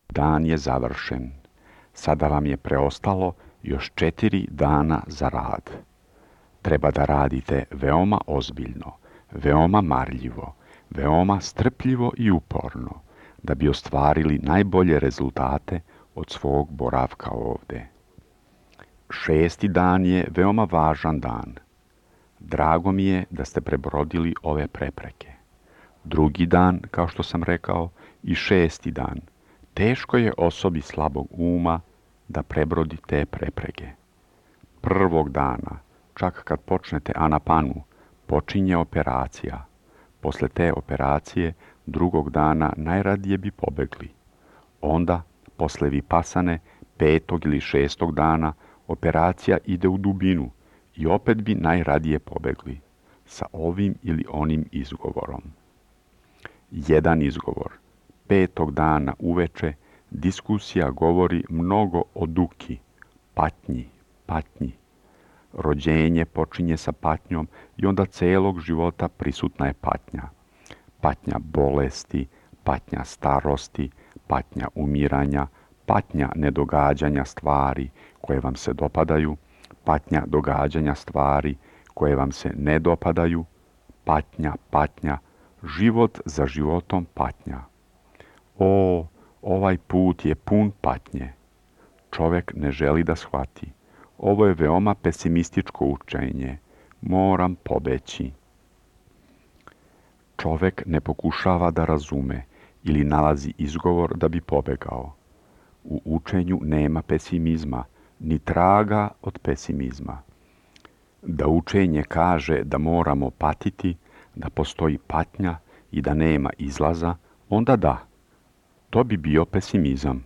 Dan je završen. Sada vam je preostalo još 4 dana za rad. Treba da radite veoma ozbiljno, veoma marljivo, veoma strpljivo i uporno, da bi ostvarili najbolje rezultate od svog boravka ovde. 6. dan je veoma važan dan. Drago mi je da ste prebrodili ove prepreke. 2. dan, kao što sam rekao, i 6. dan. Teško je osobi slabog uma da prebrodi te prepreke. 1. dana, čak kad počnete anapanu, počinje operacija. Posle te operacije, 2. dana najradije bi pobegli. Onda, posle vipasane, 5. ili 6. dana, operacija ide u dubinu i opet bi najradije pobegli, sa ovim ili onim izgovorom. Jedan izgovor. 5. dana uveče diskusija govori mnogo o duki, patnji. Rođenje počinje sa patnjom i onda celog života prisutna je patnja. Patnja bolesti, patnja starosti, patnja umiranja, patnja nedogađanja stvari koje vam se dopadaju, patnja događanja stvari koje vam se ne dopadaju, patnja, život za životom patnja. O, ovaj put je pun patnje. Čovek ne želi da shvati. Ovo je veoma pesimističko učenje. Moram pobeći. Čovek ne pokušava da razume ili nalazi izgovor da bi pobegao. U učenju nema pesimizma, ni traga od pesimizma. Da učenje kaže da moramo patiti, da postoji patnja i da nema izlaza, onda da. To bi bio pesimizam.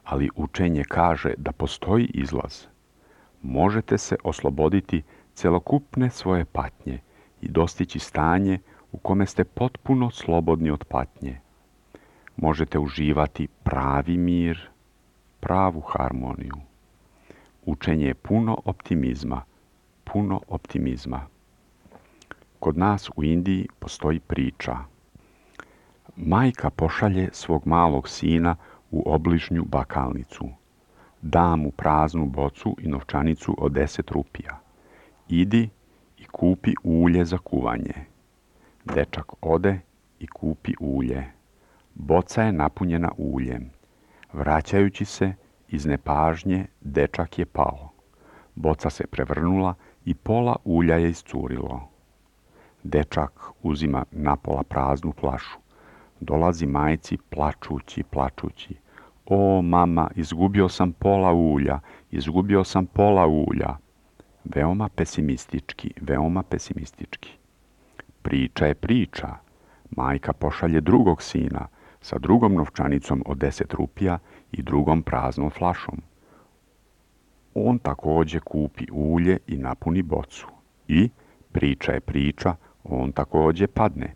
Ali učenje kaže da postoji izlaz. Možete se osloboditi celokupne svoje patnje i dostići stanje u kome ste potpuno slobodni od patnje. Možete uživati pravi mir, pravu harmoniju. Učenje je puno optimizma. Kod nas u Indiji postoji priča. Majka pošalje svog malog sina u obližnju bakalnicu. Da mu praznu bocu i novčanicu od 10 rupija. Idi i kupi ulje za kuvanje. Dečak ode i kupi ulje. Boca je napunjena uljem. Vraćajući se, iz nepažnje, dečak je pao. Boca se prevrnula i pola ulja je iscurilo. Dečak uzima napola praznu flašu. Dolazi majci plačući. O, mama, izgubio sam pola ulja. Veoma pesimistički. Priča je priča. Majka pošalje drugog sina sa drugom novčanicom od 10 rupija i drugom praznom flašom. On takođe kupi ulje i napuni bocu. I, priča je priča, on takođe padne.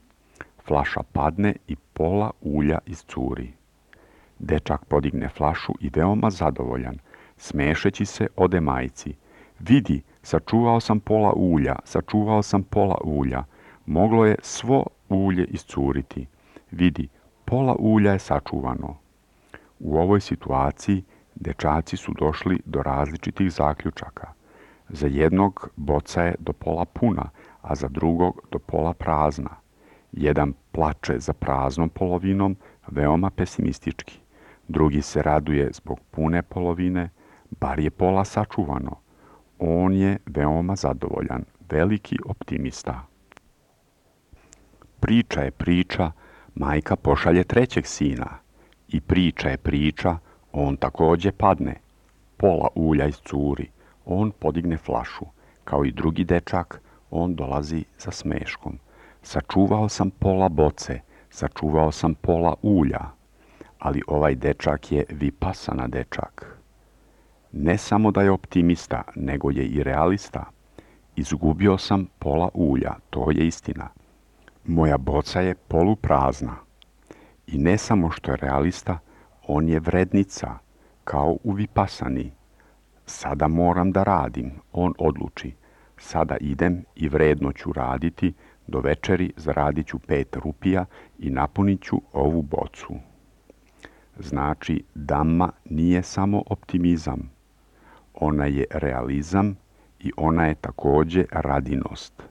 Flaša padne i pola ulja iscuri. Dečak podigne flašu i veoma zadovoljan, smešeći se ode majci. Vidi, sačuvao sam pola ulja. Moglo je svo ulje iscuriti. Vidi, pola ulja je sačuvano. U ovoj situaciji dečaci su došli do različitih zaključaka. Za jednog boca je do pola puna, a za drugog do pola prazna. Jedan plače za praznom polovinom, veoma pesimistički. Drugi se raduje zbog pune polovine, bar je pola sačuvano. On je veoma zadovoljan, veliki optimista. Priča je priča, majka pošalje trećeg sina. I priča je priča, on takođe padne. Pola ulja iscuri, on podigne flašu. Kao i drugi dečak, on dolazi sa smeškom. Sačuvao sam pola boce, sačuvao sam pola ulja. Ali ovaj dečak je vipasana dečak. Ne samo da je optimista, nego je i realista. Izgubio sam pola ulja, to je istina. Moja boca je poluprazna. I ne samo što je realista, on je vrednica, kao u vipasani. Sada moram da radim, on odluči. Sada idem i vredno ću raditi, do večeri zaradit ću 5 rupija i napunit ću ovu bocu. Znači, Dhamma nije samo optimizam. Ona je realizam i ona je također radinost.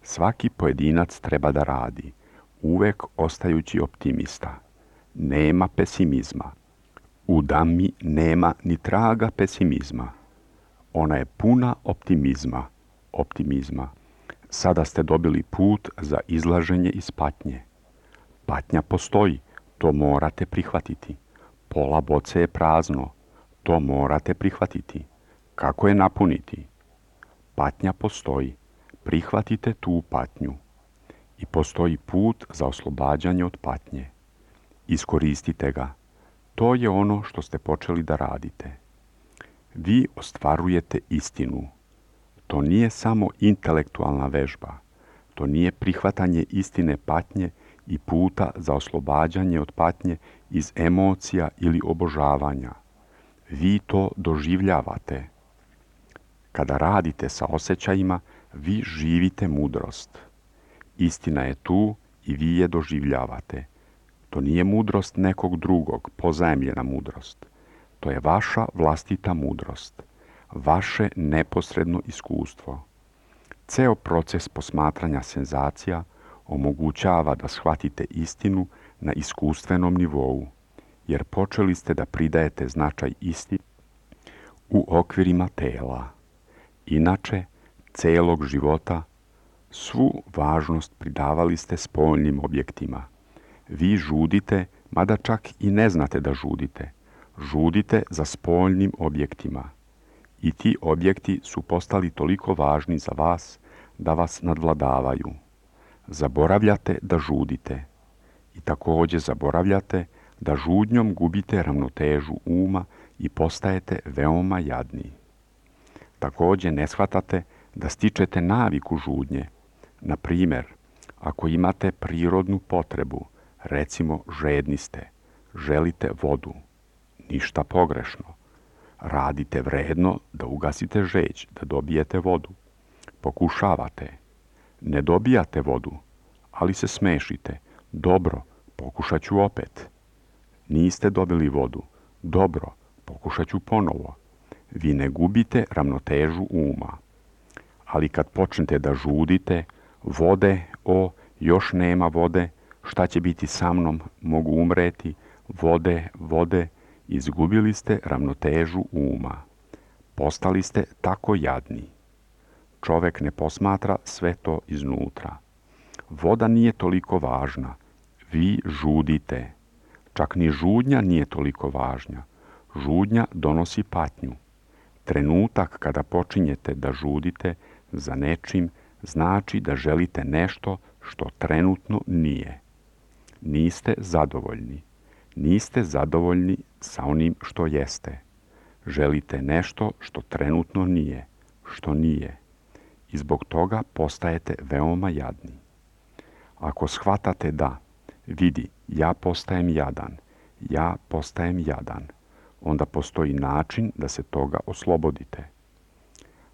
Svaki pojedinac treba da radi, uvek ostajući optimista. Nema pesimizma. U Dhammi nema ni traga pesimizma. Ona je puna optimizma. Sada ste dobili put za izlaženje iz patnje. Patnja postoji, to morate prihvatiti. Pola boce je prazno, to morate prihvatiti. Kako je napuniti? Patnja postoji, prihvatite tu patnju. I postoji put za oslobađanje od patnje. Iskoristite ga. To je ono što ste počeli da radite. Vi ostvarujete istinu. To nije samo intelektualna vežba. To nije prihvatanje istine patnje i puta za oslobađanje od patnje iz emocija ili obožavanja. Vi to doživljavate. Kada radite sa osjećajima, vi živite mudrost. Istina je tu i vi je doživljavate. To nije mudrost nekog drugog, pozajemljena mudrost. To je vaša vlastita mudrost, vaše neposredno iskustvo. Ceo proces posmatranja senzacija omogućava da shvatite istinu na iskustvenom nivou, jer počeli ste da pridajete značaj istini u okvirima tela. Inače, celog života, svu važnost pridavali ste spoljnim objektima. Vi žudite, mada čak i ne znate da žudite. Žudite za spoljnim objektima. I ti objekti su postali toliko važni za vas da vas nadvladavaju. Zaboravljate da žudite. I također zaboravljate da žudnjom gubite ravnotežu uma i postajete veoma jadni. Također ne shvatate da stičete naviku žudnje. Na primjer, ako imate prirodnu potrebu, recimo žedni ste, želite vodu, ništa pogrešno. Radite vredno da ugasite žeđ, da dobijete vodu. Pokušavate. Ne dobijate vodu, ali se smešite. Dobro, pokušat ću opet. Niste dobili vodu. Dobro, pokušat ću ponovo. Vi ne gubite ravnotežu uma. Ali kad počnete da žudite, vode, još nema vode, šta će biti sa mnom, mogu umreti, vode, izgubili ste ravnotežu uma. Postali ste tako jadni. Čovek ne posmatra sve to iznutra. Voda nije toliko važna. Vi žudite. Čak ni žudnja nije toliko važna. Žudnja donosi patnju. Trenutak kada počinjete da žudite za nečim znači da želite nešto što trenutno nije. Niste zadovoljni. Niste zadovoljni sa onim što jeste. Želite nešto što trenutno nije, što nije. I zbog toga postajete veoma jadni. Ako shvatate da, vidi, ja postajem jadan, onda postoji način da se toga oslobodite.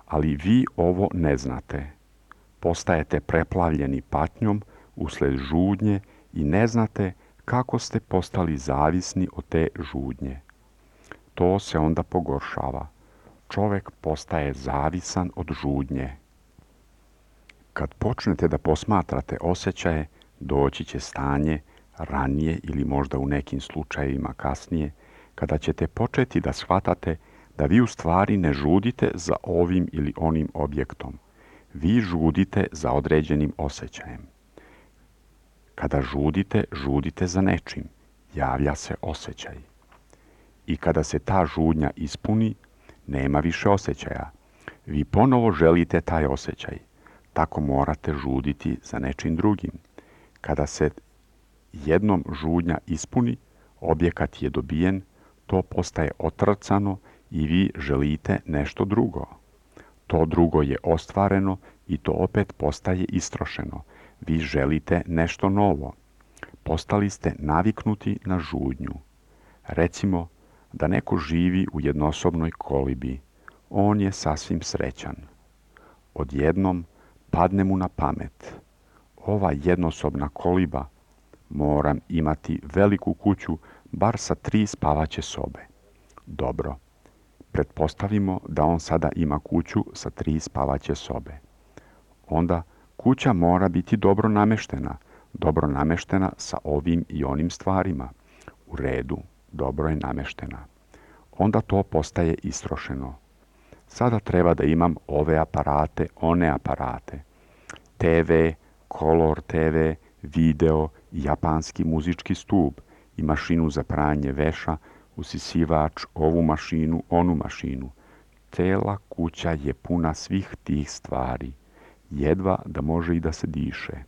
Ali vi ovo ne znate. Postajete preplavljeni patnjom usled žudnje i ne znate kako ste postali zavisni od te žudnje. To se onda pogoršava. Čovek postaje zavisan od žudnje. Kad počnete da posmatrate osjećaje, doći će stanje, ranije ili možda u nekim slučajevima kasnije, kada ćete početi da shvatate da vi u stvari ne žudite za ovim ili onim objektom. Vi žudite za određenim osjećajem. Kada žudite, žudite za nečim. Javlja se osjećaj. I kada se ta žudnja ispuni, nema više osjećaja. Vi ponovo želite taj osjećaj. Tako morate žuditi za nečim drugim. Kada se jednom žudnja ispuni, objekat je dobijen, to postaje otrcano i vi želite nešto drugo. To drugo je ostvareno i to opet postaje istrošeno. Vi želite nešto novo. Postali ste naviknuti na žudnju. Recimo da neko živi u jednosobnoj kolibi. On je sasvim srećan. Odjednom padne mu na pamet. Ova jednosobna koliba, moram imati veliku kuću bar sa 3 spavaće sobe. Dobro, pretpostavimo da on sada ima kuću sa 3 spavaće sobe. Onda kuća mora biti dobro nameštena sa ovim i onim stvarima. U redu, dobro je nameštena. Onda to postaje istrošeno. Sada treba da imam ove aparate, one aparate. TV, Color TV, video, japanski muzički stup i mašinu za pranje veša, usisivač, ovu mašinu, onu mašinu. Cela kuća je puna svih tih stvari. Jedva da može i da se diše.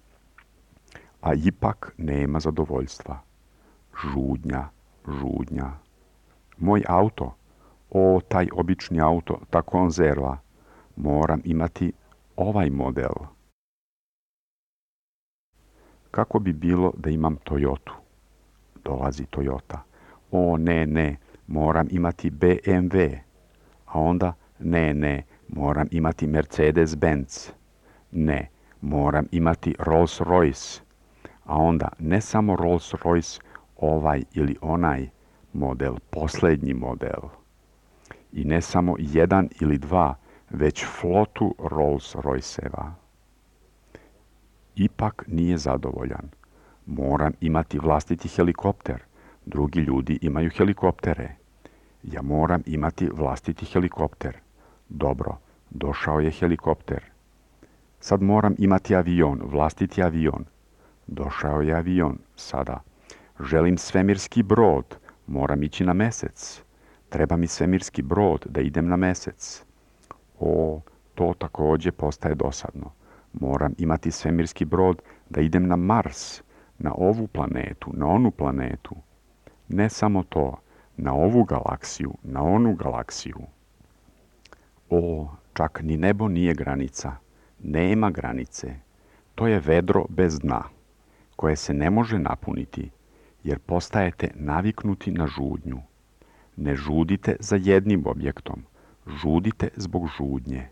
A ipak nema zadovoljstva. Žudnja. Moj auto, taj obični auto, ta konzerva, moram imati ovaj model. Kako bi bilo da imam Toyotu? Dolazi Toyota. Ne, moram imati BMW. A onda, ne, moram imati Mercedes-Benz. Ne, moram imati Rolls-Royce. A onda, ne samo Rolls-Royce, ovaj ili onaj model, posljednji model. I ne samo 1 ili 2, već flotu Rolls-Royceva. Ipak nije zadovoljan. Moram imati vlastiti helikopter. Drugi ljudi imaju helikoptere. Ja moram imati vlastiti helikopter. Dobro, došao je helikopter. Sad moram imati avion, vlastiti avion. Došao je avion, sada. Želim svemirski brod, moram ići na mesec. Treba mi svemirski brod da idem na mesec. To također postaje dosadno. Moram imati svemirski brod da idem na Mars, na ovu planetu, na onu planetu. Ne samo to, na ovu galaksiju, na onu galaksiju. Čak ni nebo nije granica. Nema granice. To je vedro bez dna, koje se ne može napuniti, jer postajete naviknuti na žudnju. Ne žudite za jednim objektom, žudite zbog žudnje.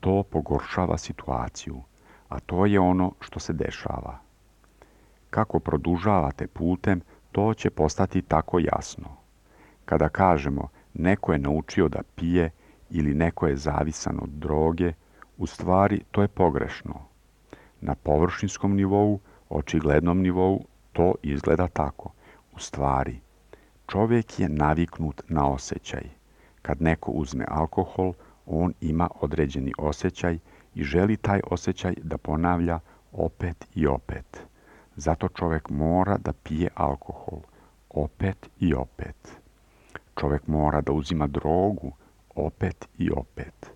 To pogoršava situaciju, a to je ono što se dešava. Kako produžavate putem, to će postati tako jasno. Kada kažemo neko je naučio da pije ili neko je zavisan od droge, u stvari to je pogrešno. Na površinskom nivou, očiglednom nivou, to izgleda tako. U stvari, čovjek je naviknut na osjećaj. Kad neko uzme alkohol, on ima određeni osjećaj i želi taj osjećaj da ponavlja opet i opet. Zato čovjek mora da pije alkohol, opet i opet. Čovjek mora da uzima drogu, opet i opet.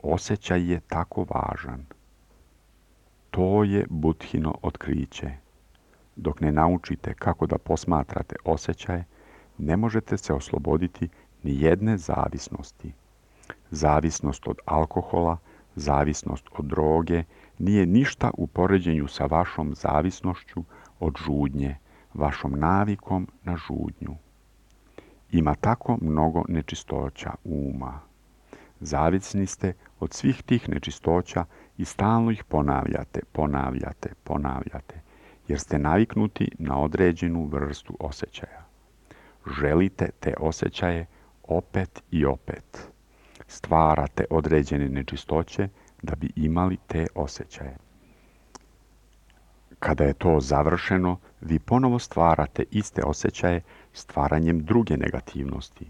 Osjećaj je tako važan. To je Budhino otkriće. Dok ne naučite kako da posmatrate osjećaje, ne možete se osloboditi ni jedne zavisnosti. Zavisnost od alkohola, zavisnost od droge nije ništa u poređenju sa vašom zavisnošću od žudnje, vašom navikom na žudnju. Ima tako mnogo nečistoća uma. Zavisni ste od svih tih nečistoća i stalno ih ponavljate, jer ste naviknuti na određenu vrstu osjećaja. Želite te osjećaje opet i opet. Stvarate određene nečistoće da bi imali te osjećaje. Kada je to završeno, vi ponovo stvarate iste osjećaje stvaranjem druge negativnosti.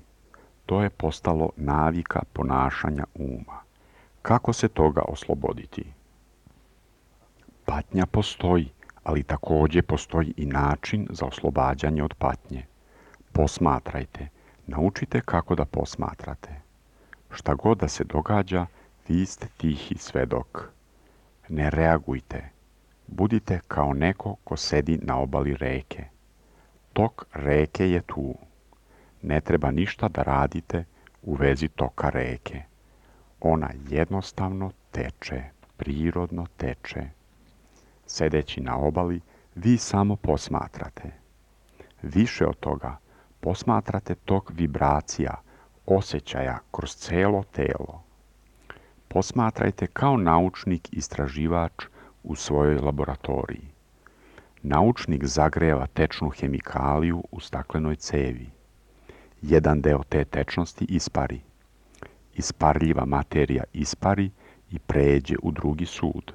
To je postalo navika ponašanja uma. Kako se toga osloboditi? Patnja postoji, ali također postoji i način za oslobađanje od patnje. Posmatrajte, naučite kako da posmatrate. Šta god da se događa, vi ste tihi svedok. Ne reagujte. Budite kao neko ko sedi na obali reke. Tok reke je tu. Ne treba ništa da radite u vezi toka reke. Ona jednostavno teče, prirodno teče. Sedeći na obali, vi samo posmatrate. Više od toga, posmatrate tok vibracija, osjećaja kroz celo telo. Posmatrajte kao naučnik istraživač u svojoj laboratoriji. Naučnik zagreva tečnu hemikaliju u staklenoj cevi. Jedan deo te tečnosti ispari. Isparljiva materija ispari i pređe u drugi sud.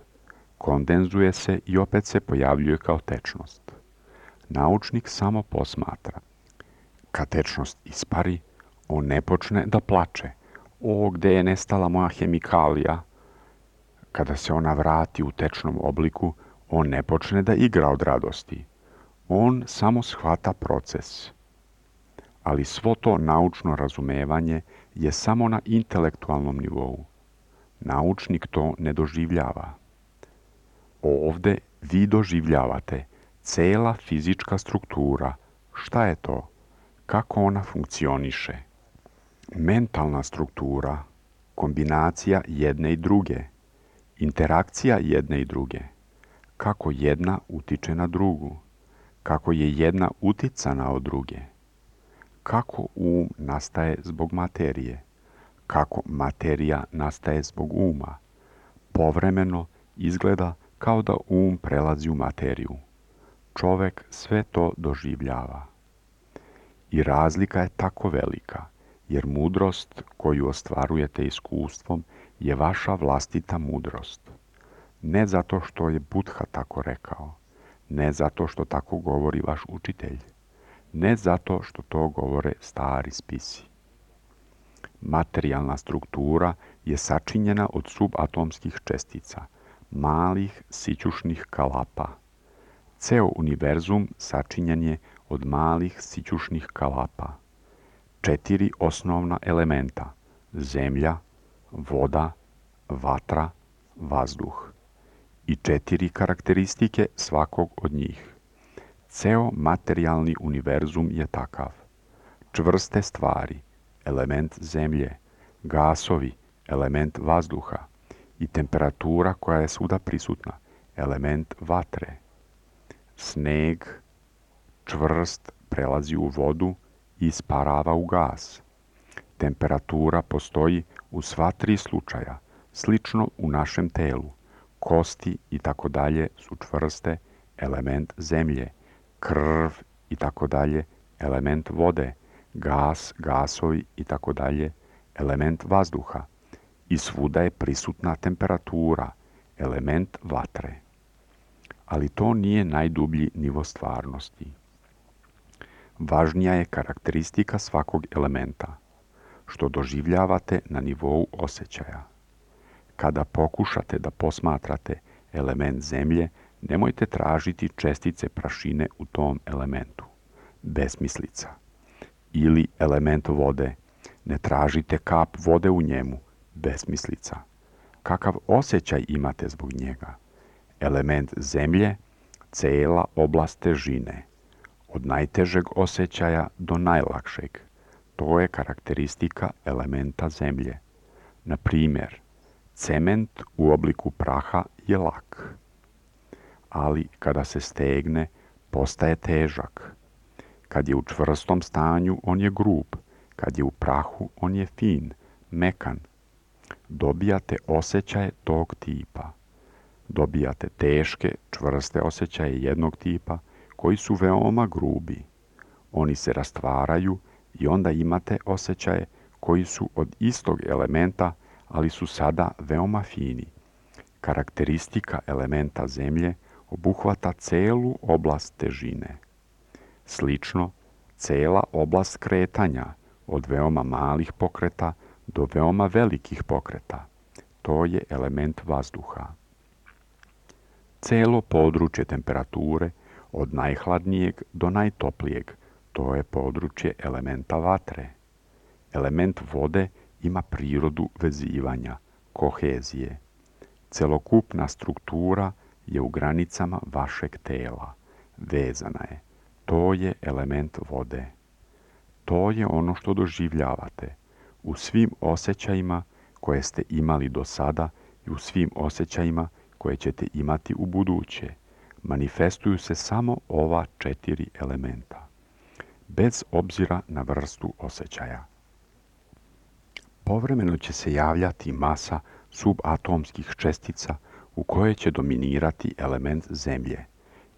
Kondenzuje se i opet se pojavljuje kao tečnost. Naučnik samo posmatra. Kad tečnost ispari, on ne počne da plače. O, gde je nestala moja hemikalija? Kada se ona vrati u tečnom obliku, on ne počne da igra od radosti. On samo shvata proces. Ali svo to naučno razumevanje je samo na intelektualnom nivou. Naučnik to ne doživljava. Ovde vi doživljavate cela fizička struktura. Šta je to? Kako ona funkcioniše? Mentalna struktura, kombinacija jedne i druge, interakcija jedne i druge, kako jedna utiče na drugu, kako je jedna uticana od druge, kako nastaje zbog materije, kako materija nastaje zbog uma. Povremeno izgleda kao da prelazi u materiju. Čovek sve to doživljava. I razlika je tako velika, jer mudrost koju ostvarujete iskustvom je vaša vlastita mudrost. Ne zato što je Buddha tako rekao, ne zato što tako govori vaš učitelj, ne zato što to govore stari spisi. Materijalna struktura je sačinjena od subatomskih čestica, malih sićušnih kalapa. Ceo univerzum sačinjen je od malih sićušnih kalapa. 4 osnovna elementa: zemlja, voda, vatra, vazduh. I 4 karakteristike svakog od njih. Ceo materijalni univerzum je takav. Čvrste stvari, element zemlje, gasovi, element vazduha i temperatura koja je svuda prisutna, element vatre. Sneg, čvrst, prelazi u vodu i isparava u gas. Temperatura postoji u sva 3 slučaja, slično u našem telu. Kosti i tako dalje su čvrste, element zemlje. Krv i tako dalje, element vode. Gas, gasovi i tako dalje, element vazduha. I svuda je prisutna temperatura, element vatre. Ali to nije najdublji nivo stvarnosti. Važnija je karakteristika svakog elementa, što doživljavate na nivou osjećaja. Kada pokušate da posmatrate element zemlje, nemojte tražiti čestice prašine u tom elementu. Besmislica. Ili element vode. Ne tražite kap vode u njemu. Besmislica. Kakav osjećaj imate zbog njega? Element zemlje, cela oblast težine. Od najtežeg osjećaja do najlakšeg. To je karakteristika elementa zemlje. Na primjer, cement u obliku praha je lak. Ali kada se stegne, postaje težak. Kad je u čvrstom stanju, on je grub. Kad je u prahu, on je fin, mekan. Dobijate osjećaje tog tipa. Dobijate teške, čvrste osjećaje jednog tipa, koji su veoma grubi. Oni se rastvaraju i onda imate osjećaje koji su od istog elementa, ali su sada veoma fini. Karakteristika elementa zemlje obuhvata celu oblast težine. Slično, cela oblast kretanja, od veoma malih pokreta do veoma velikih pokreta. To je element vazduha. Celo područje temperature, od najhladnijeg do najtoplijeg, to je područje elementa vatre. Element vode ima prirodu vezivanja, kohezije. Celokupna struktura je u granicama vašeg tela, vezana je. To je element vode. To je ono što doživljavate u svim osjećajima koje ste imali do sada i u svim osjećajima koje ćete imati u buduće. Manifestuju se samo ova 4 elementa, bez obzira na vrstu osjećaja. Povremeno će se javljati masa subatomskih čestica u kojoj će dominirati element zemlje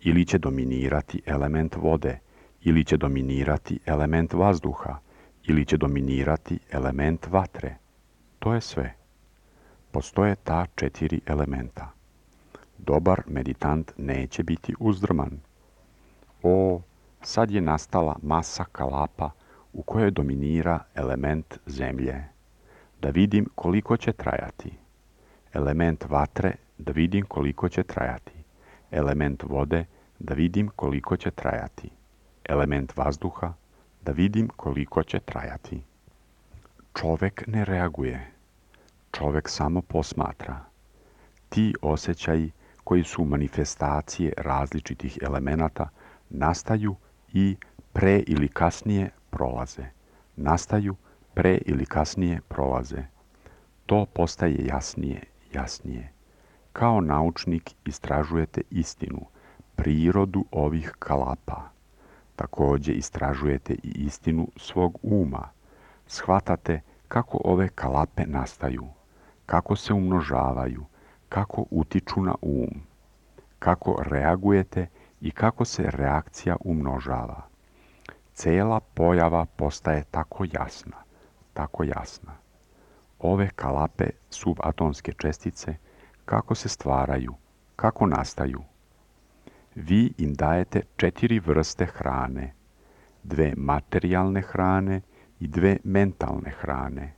ili će dominirati element vode, ili će dominirati element vazduha, ili će dominirati element vatre. To je sve. Postoje ta 4 elementa. Dobar meditant neće biti uzdrman. O, sad je nastala masa kalapa u kojoj dominira element zemlje. Da vidim koliko će trajati. Element vatre, da vidim koliko će trajati. Element vode, da vidim koliko će trajati. Element vazduha, da vidim koliko će trajati. Čovek ne reaguje. Čovek samo posmatra. Ti osjećaji koji su manifestacije različitih elemenata nastaju i pre ili kasnije prolaze. Nastaju pre ili kasnije prolaze. To postaje jasnije. Kao naučnik istražujete istinu, prirodu ovih kalapa. Također istražujete i istinu svog uma. Shvatate kako ove kalape nastaju, kako se umnožavaju, kako utiču na um, kako reagujete i kako se reakcija umnožava. Cela pojava postaje tako jasna. Ove kalape subatomske čestice, kako se stvaraju, kako nastaju. Vi im dajete 4 vrste hrane, 2 materijalne hrane i 2 mentalne hrane.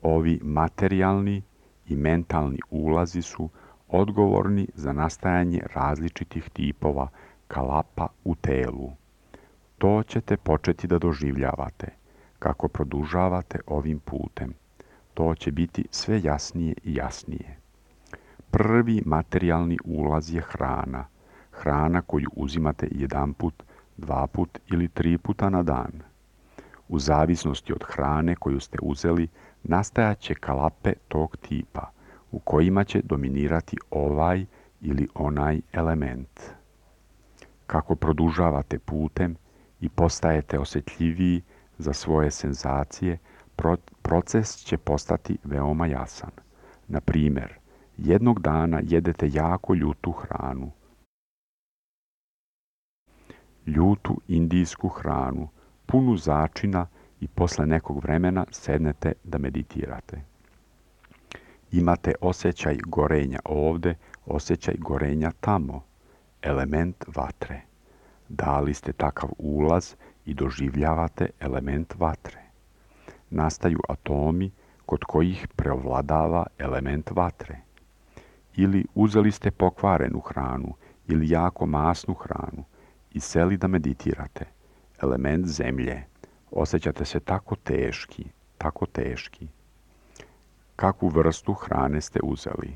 Ovi materijalni i mentalni ulazi su odgovorni za nastajanje različitih tipova kalapa u telu. To ćete početi da doživljavate kako produžavate ovim putem. To će biti sve jasnije i jasnije. Prvi materijalni ulaz je hrana. Hrana koju uzimate 1 put, 2 put ili 3 puta na dan. U zavisnosti od hrane koju ste uzeli, nastajaće kalape tog tipa, u kojima će dominirati ovaj ili onaj element. Kako produžavate putem i postajete osjetljiviji za svoje senzacije, proces će postati veoma jasan. Na primjer, jednog dana jedete jako ljutu hranu. Ljutu indijsku hranu, punu začina i posle nekog vremena sednete da meditirate. Imate osjećaj gorenja ovde, osjećaj gorenja tamo, element vatre. Dali ste takav ulaz i doživljavate element vatre. Nastaju atomi kod kojih preovladava element vatre. Ili uzeli ste pokvarenu hranu ili jako masnu hranu i seli da meditirate. Element zemlje. Osjećate se tako teški. Kakvu vrstu hrane ste uzeli?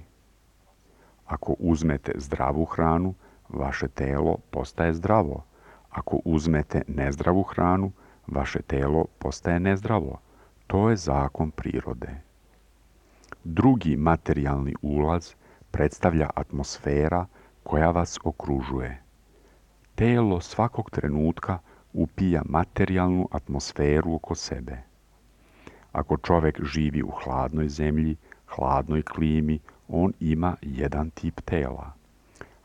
Ako uzmete zdravu hranu, vaše telo postaje zdravo. Ako uzmete nezdravu hranu, vaše telo postaje nezdravo. To je zakon prirode. Drugi materijalni ulaz predstavlja atmosfera koja vas okružuje. Telo svakog trenutka upija materijalnu atmosferu oko sebe. Ako čovjek živi u hladnoj zemlji, hladnoj klimi, on ima jedan tip tela.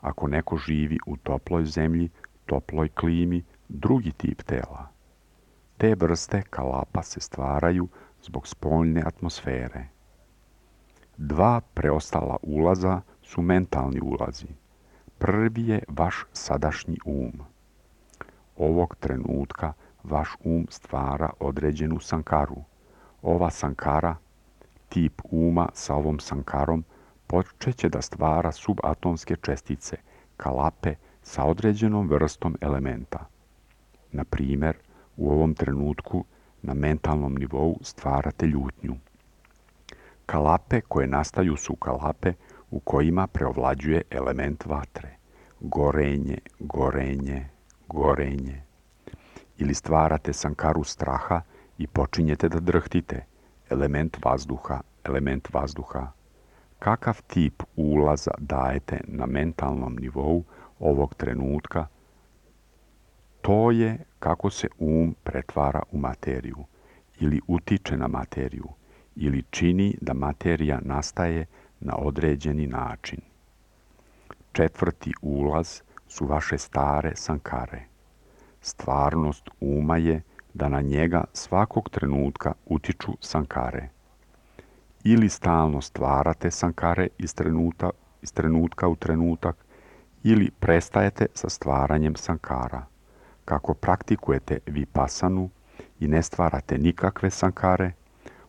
Ako neko živi u toploj zemlji, toploj klimi, drugi tip tela. Te vrste kalapa se stvaraju zbog spoljne atmosfere. 2 preostala ulaza su mentalni ulazi. Prvi je vaš sadašnji um. Ovog trenutka vaš um stvara određenu sankaru. Ova sankara, tip uma sa ovom sankarom, počeće da stvara subatomske čestice, kalape sa određenom vrstom elementa. Na primjer, u ovom trenutku na mentalnom nivou stvarate ljutnju. Kalape koje nastaju su kalape u kojima preovlađuje element vatre. Gorenje. Ili stvarate sankaru straha i počinjete da drhtite. Element vazduha. Kakav tip ulaza dajete na mentalnom nivou ovog trenutka? To je kako se um pretvara u materiju, ili utiče na materiju, ili čini da materija nastaje na određeni način. 4. ulaz su vaše stare sankare. Stvarnost uma je da na njega svakog trenutka utiču sankare. Ili stalno stvarate sankare iz trenutka u trenutak, ili prestajete sa stvaranjem sankara. Kako praktikujete vipasanu i ne stvarate nikakve sankare,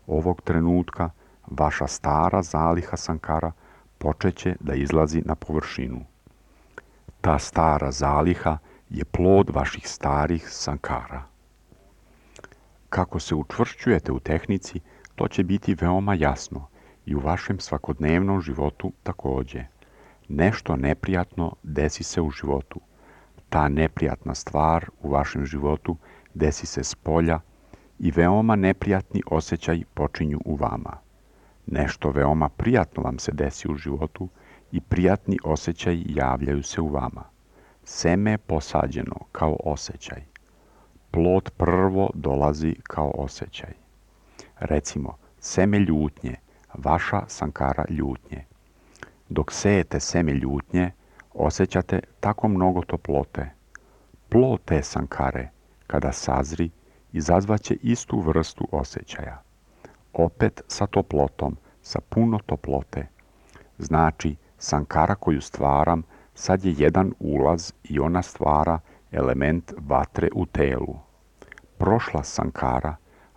ovog trenutka vaša stara zaliha sankara počeće da izlazi na površinu. Ta stara zaliha je plod vaših starih sankara. Kako se učvršćujete u tehnici, to će biti veoma jasno i u vašem svakodnevnom životu takođe. Nešto neprijatno desi se u životu. Ta neprijatna stvar u vašem životu desi se s polja i veoma neprijatni osjećaj počinju u vama. Nešto veoma prijatno vam se desi u životu i prijatni osjećaj javljaju se u vama. Seme je posađeno kao osjećaj. Plod prvo dolazi kao osjećaj. Recimo, seme ljutnje, vaša sankara ljutnje. Dok sejete seme ljutnje, osjećate tako mnogo toplote. Plod te sankare, kada sazri, izazvaće istu vrstu osjećaja. Opet sa toplotom, sa puno toplote. Znači, sankara koju stvaram sad je jedan ulaz i ona stvara element vatre u telu. Prošla sankara,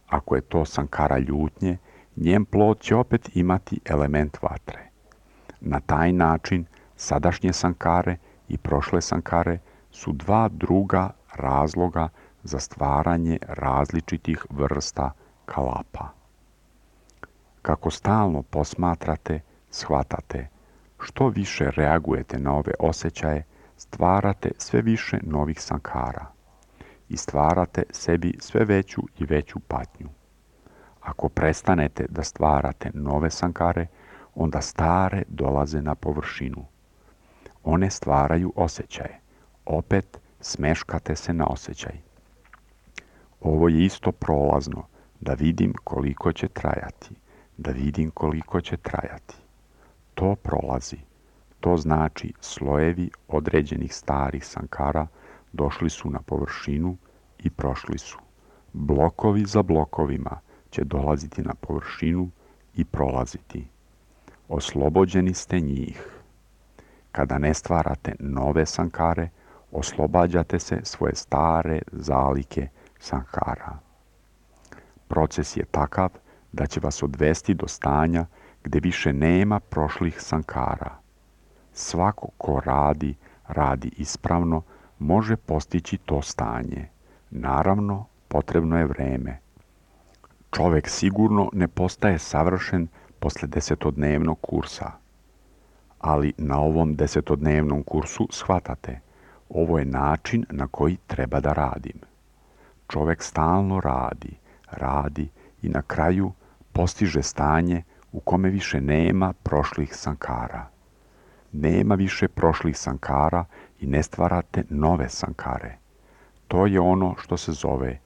ako je to sankara ljutnje, njen plod će opet imati element vatre. Na taj način sadašnje sankare i prošle sankare su dva druga razloga za stvaranje različitih vrsta kalapa. Kako stalno posmatrate, shvatate, što više reagujete na ove osjećaje, stvarate sve više novih sankara i stvarate sebi sve veću i veću patnju. Ako prestanete da stvarate nove sankare, onda stare dolaze na površinu. One stvaraju osjećaje. Opet smeškate se na osjećaj. Ovo je isto prolazno, da vidim koliko će trajati, da vidim koliko će trajati. To prolazi. To znači slojevi određenih starih sankara došli su na površinu i prošli su. Blokovi za blokovima će dolaziti na površinu i prolaziti. Oslobođeni ste njih. Kada ne stvarate nove sankare, oslobađate se svoje stare zalike sankara. Proces je takav da će vas odvesti do stanja gde više nema prošlih sankara. Svako ko radi ispravno, može postići to stanje. Naravno, potrebno je vreme. Čovek sigurno ne postaje savršen posle 10-dnevnog kursa. Ali na ovom 10-dnevnom kursu shvatate, ovo je način na koji treba da radim. Čovek stalno radi i na kraju postiže stanje u kome više nema prošlih sankara. Nema više prošlih sankara i ne stvarate nove sankare. To je ono što se zove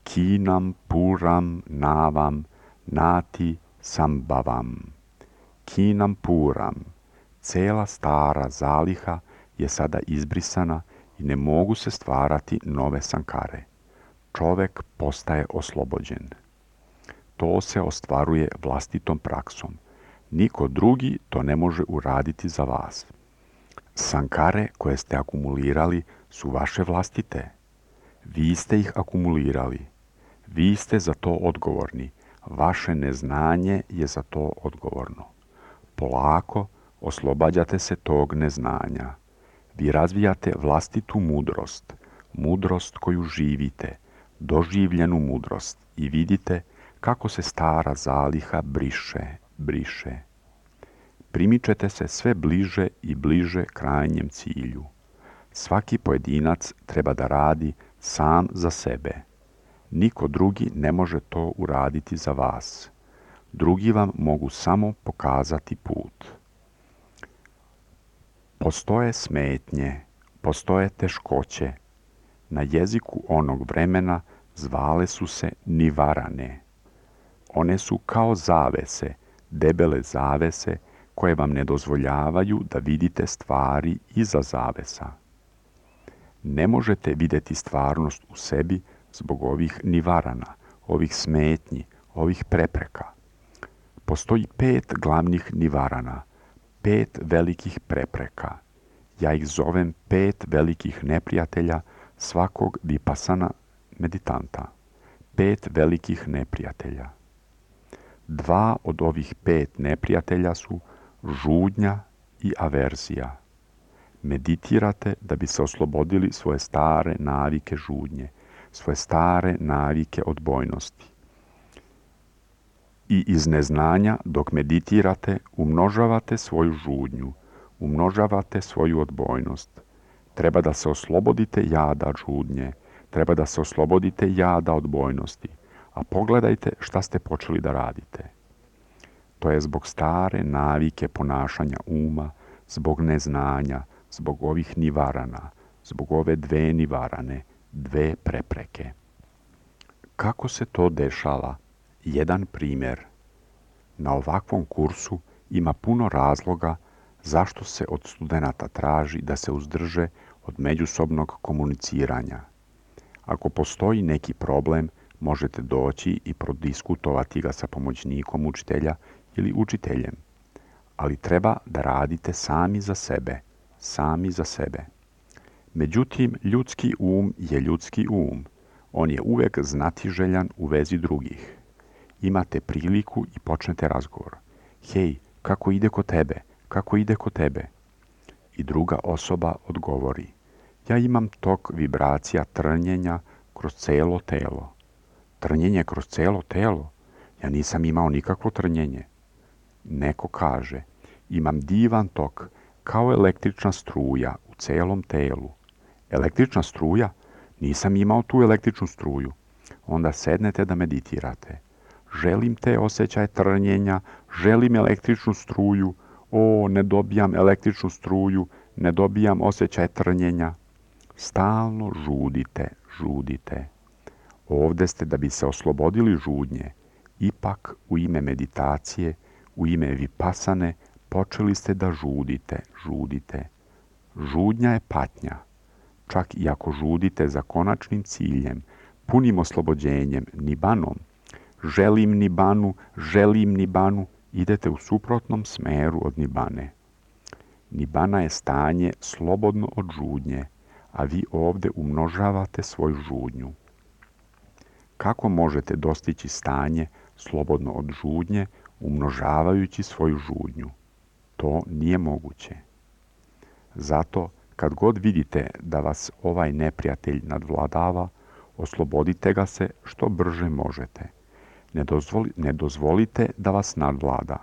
kinam puram navam nati sambavam. Kinam puram. Cela stara zaliha je sada izbrisana i ne mogu se stvarati nove sankare. Čovek postaje oslobođen. To se ostvaruje vlastitom praksom. Niko drugi to ne može uraditi za vas. Sankare koje ste akumulirali su vaše vlastite. Vi ste ih akumulirali. Vi ste za to odgovorni. Vaše neznanje je za to odgovorno. Polako oslobađate se tog neznanja. Vi razvijate vlastitu mudrost, mudrost koju živite, doživljenu mudrost i vidite kako se stara zaliha briše. Primičete se sve bliže i bliže krajnjem cilju. Svaki pojedinac treba da radi sam za sebe. Niko drugi ne može to uraditi za vas. Drugi vam mogu samo pokazati put. Postoje smetnje, postoje teškoće. Na jeziku onog vremena zvale su se nivarane. One su kao zavese, debele zavese koje vam ne dozvoljavaju da vidite stvari iza zavesa. Ne možete vidjeti stvarnost u sebi zbog ovih nivarana, ovih smetnji, ovih prepreka. Postoji 5 glavnih nivarana, 5 velikih prepreka. Ja ih zovem 5 velikih neprijatelja svakog vipasana meditanta. 5 velikih neprijatelja. 2 od ovih 5 neprijatelja su žudnja i averzija. Meditirate da bi se oslobodili svoje stare navike žudnje, svoje stare navike odbojnosti. I iz neznanja dok meditirate umnožavate svoju žudnju, umnožavate svoju odbojnost. Treba da se oslobodite jada žudnje, treba da se oslobodite jada odbojnosti. A pogledajte šta ste počeli da radite. To je zbog stare navike ponašanja uma, zbog neznanja, zbog ovih nivarana, zbog ove 2 nivarane, 2 prepreke. Kako se to dešava? Jedan primjer. Na ovakvom kursu ima puno razloga zašto se od studenata traži da se uzdrže od međusobnog komuniciranja. Ako postoji neki problem, možete doći i prodiskutovati ga sa pomoćnikom učitelja ili učiteljem. Ali treba da radite sami za sebe, sami za sebe. Međutim, ljudski um je ljudski um. On je uvek znatiželjan u vezi drugih. Imate priliku i počnete razgovor. Hej, kako ide kod tebe? Kako ide kod tebe? I druga osoba odgovori. Ja imam tok vibracija trnjenja kroz celo telo. Trnjenje kroz celo telo? Ja nisam imao nikakvo trnjenje. Neko kaže, imam divan tok, kao električna struja u celom telu. Električna struja? Nisam imao tu električnu struju. Onda sednete da meditirate. Želim te osjećaje trnjenja, želim električnu struju. O, ne dobijam električnu struju, ne dobijam osjećaj trnjenja. Stalno žudite, žudite. Ovdje ste da bi se oslobodili žudnje. Ipak u ime meditacije, u ime vipasane, počeli ste da žudite, žudite. Žudnja je patnja. Čak i ako žudite za konačnim ciljem, punim oslobođenjem, nibanom, želim nibanu, idete u suprotnom smeru od nibane. Nibana je stanje slobodno od žudnje, a vi ovdje umnožavate svoju žudnju. Kako možete dostići stanje slobodno od žudnje umnožavajući svoju žudnju? To nije moguće. Zato, kad god vidite da vas ovaj neprijatelj nadvladava, oslobodite ga se što brže možete. Ne dozvolite da vas nadvlada.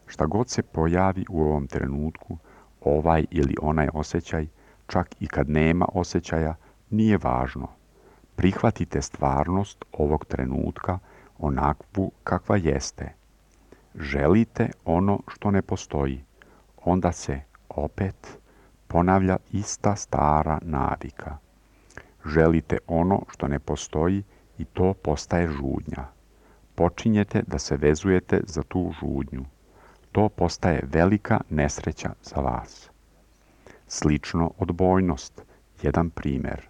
Šta god se pojavi u ovom trenutku, ovaj ili onaj osjećaj, čak i kad nema osjećaja, nije važno. Prihvatite stvarnost ovog trenutka onakvu kakva jeste. Želite ono što ne postoji, onda se opet ponavlja ista stara navika. Želite ono što ne postoji i to postaje žudnja. Počinjete da se vezujete za tu žudnju. To postaje velika nesreća za vas. Slično odbojnost, jedan primjer.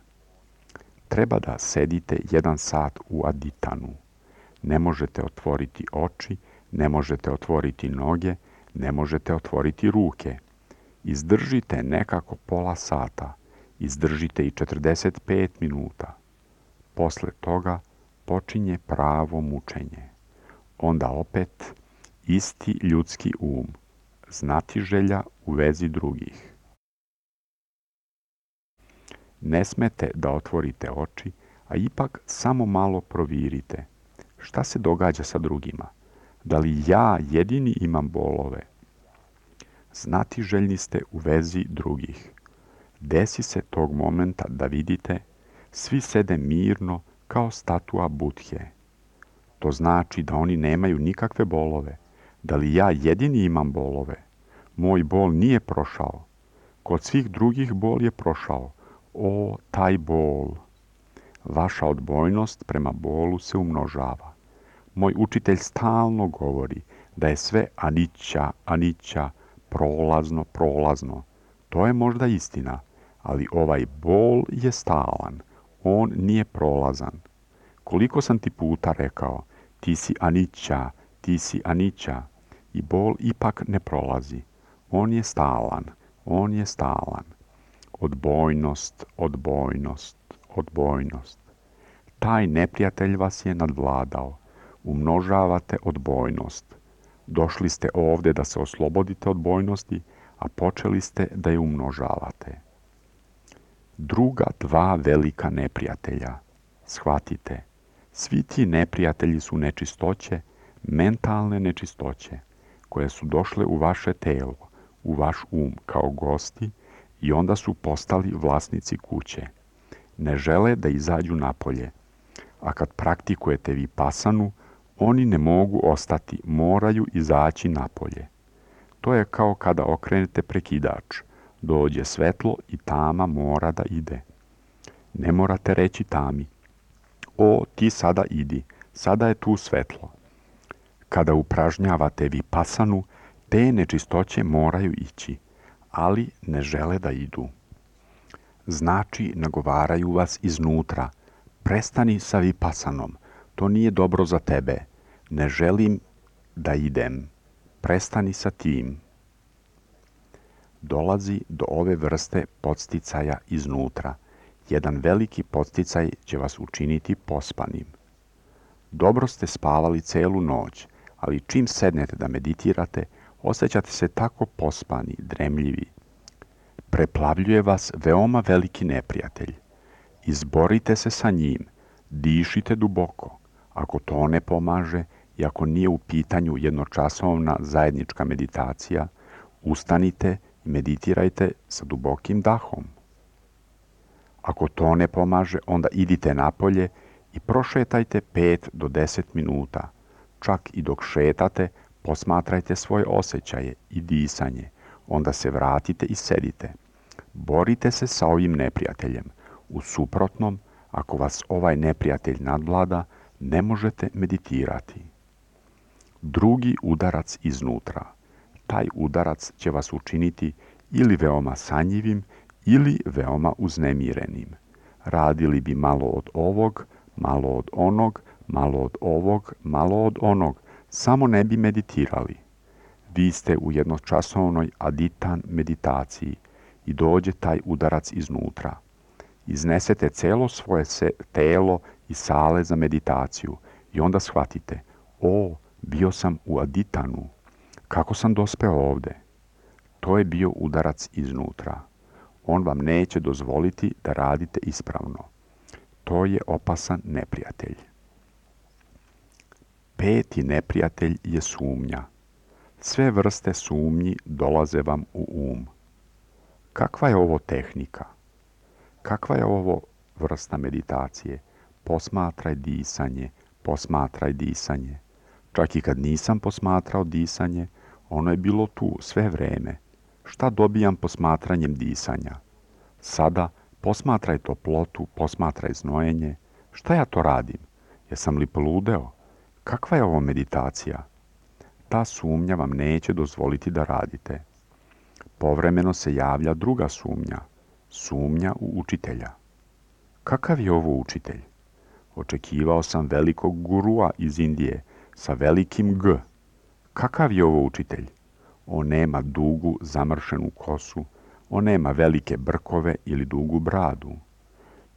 Treba da sedite 1 sat u aditanu. Ne možete otvoriti oči, ne možete otvoriti noge, ne možete otvoriti ruke. Izdržite nekako pola sata, izdržite i 45 minuta. Posle toga počinje pravo mučenje. Onda opet isti ljudski um, znatiželja u vezi drugih. Ne smete da otvorite oči, a ipak samo malo provirite. Šta se događa sa drugima? Da li ja jedini imam bolove? Znatiželjni ste u vezi drugih. Desi se tog momenta da vidite, svi sede mirno kao statua Budhe. To znači da oni nemaju nikakve bolove. Da li ja jedini imam bolove? Moj bol nije prošao. Kod svih drugih bol je prošao. O, taj bol! Vaša odbojnost prema bolu se umnožava. Moj učitelj stalno govori da je sve anića, prolazno. To je možda istina, ali ovaj bol je stalan, on nije prolazan. Koliko sam ti puta rekao, ti si Anića, ti si Anića, i bol ipak ne prolazi. On je stalan, on je stalan. Odbojnost, odbojnost, odbojnost. Taj neprijatelj vas je nadvladao. Umnožavate odbojnost. Došli ste ovdje da se oslobodite odbojnosti, a počeli ste da je umnožavate. Druga dva velika neprijatelja. Shvatite, svi ti neprijatelji su nečistoće, mentalne nečistoće, koje su došle u vaše telo, u vaš kao gosti i onda su postali vlasnici kuće. Ne žele da izađu napolje, a kad praktikujete vipasanu, oni ne mogu ostati, moraju izaći napolje. To je kao kada okrenete prekidač. Dođe svetlo i tama mora da ide. Ne morate reći tami, o, ti sada idi, sada je tu svetlo. Kada upražnjavate vipasanu, te nečistoće moraju ići, ali ne žele da idu. Znači, nagovaraju vas iznutra. Prestani sa vipasanom, to nije dobro za tebe. Ne želim da idem. Prestani sa tim. Dolazi do ove vrste podsticaja iznutra. Jedan veliki podsticaj će vas učiniti pospanim. Dobro ste spavali celu noć, ali čim sednete da meditirate, osjećate se tako pospani, dremljivi. Preplavljuje vas veoma veliki neprijatelj. Izborite se sa njim, dišite duboko. Ako to ne pomaže i ako nije u pitanju jednočasovna zajednička meditacija, ustanite i meditirajte sa dubokim dahom. Ako to ne pomaže, onda idite napolje i prošetajte 5 do 10 minuta. Čak i dok šetate, posmatrajte svoje osjećaje i disanje. Onda se vratite i sedite. Borite se sa ovim neprijateljem. U suprotnom, ako vas ovaj neprijatelj nadvlada, ne možete meditirati. Drugi udarac iznutra. Taj udarac će vas učiniti ili veoma sanjivim ili veoma uznemirenim. Radili bi malo od ovog, malo od onog, malo od ovog, malo od onog, samo ne bi meditirali. Vi ste u jednočasovnoj aditan meditaciji i dođe taj udarac iznutra. Iznesete celo svoje telo iz sale za meditaciju i onda shvatite, o, bio sam u aditanu, kako sam dospeo ovde? To je bio udarac iznutra. On vam neće dozvoliti da radite ispravno. To je opasan neprijatelj. Peti neprijatelj je sumnja. Sve vrste sumnji dolaze vam u Kakva je ovo tehnika? Kakva je ovo vrsta meditacije? Posmatraj disanje, posmatraj disanje. Čak i kad nisam posmatrao disanje, ono je bilo tu sve vreme. Šta dobijam posmatranjem disanja? Sada posmatraj toplotu, posmatraj znojenje. Šta ja to radim? Jesam li poludeo? Kakva je ovo meditacija? Ta sumnja vam neće dozvoliti da radite. Povremeno se javlja druga sumnja. Sumnja u učitelja. Kakav je ovo učitelj? Očekivao sam velikog gurua iz Indije sa velikim G. Kakav je ovo učitelj? On nema dugu, zamršenu kosu, on nema velike brkove ili dugu bradu.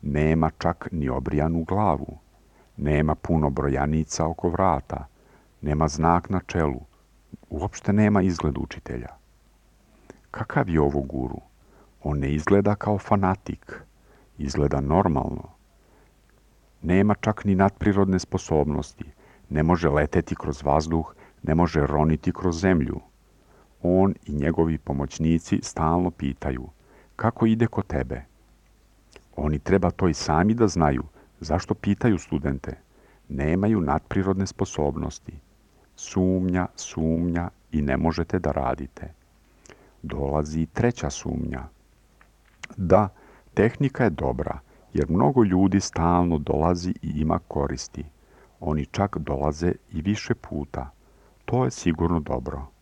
Nema čak ni obrijanu glavu. Nema puno brojanica oko vrata. Nema znak na čelu. Uopšte nema izgled učitelja. Kakav je ovo guru? On ne izgleda kao fanatik. Izgleda normalno. Nema čak ni nadprirodne sposobnosti. Ne može leteti kroz vazduh, ne može roniti kroz zemlju. On i njegovi pomoćnici stalno pitaju, kako ide kod tebe? Oni treba to i sami da znaju. Zašto pitaju studente? Nemaju nadprirodne sposobnosti. Sumnja, sumnja i ne možete da radite. Dolazi treća sumnja. Da, tehnika je dobra, jer mnogo ljudi stalno dolazi i ima koristi. Oni čak dolaze i više puta. To je sigurno dobro.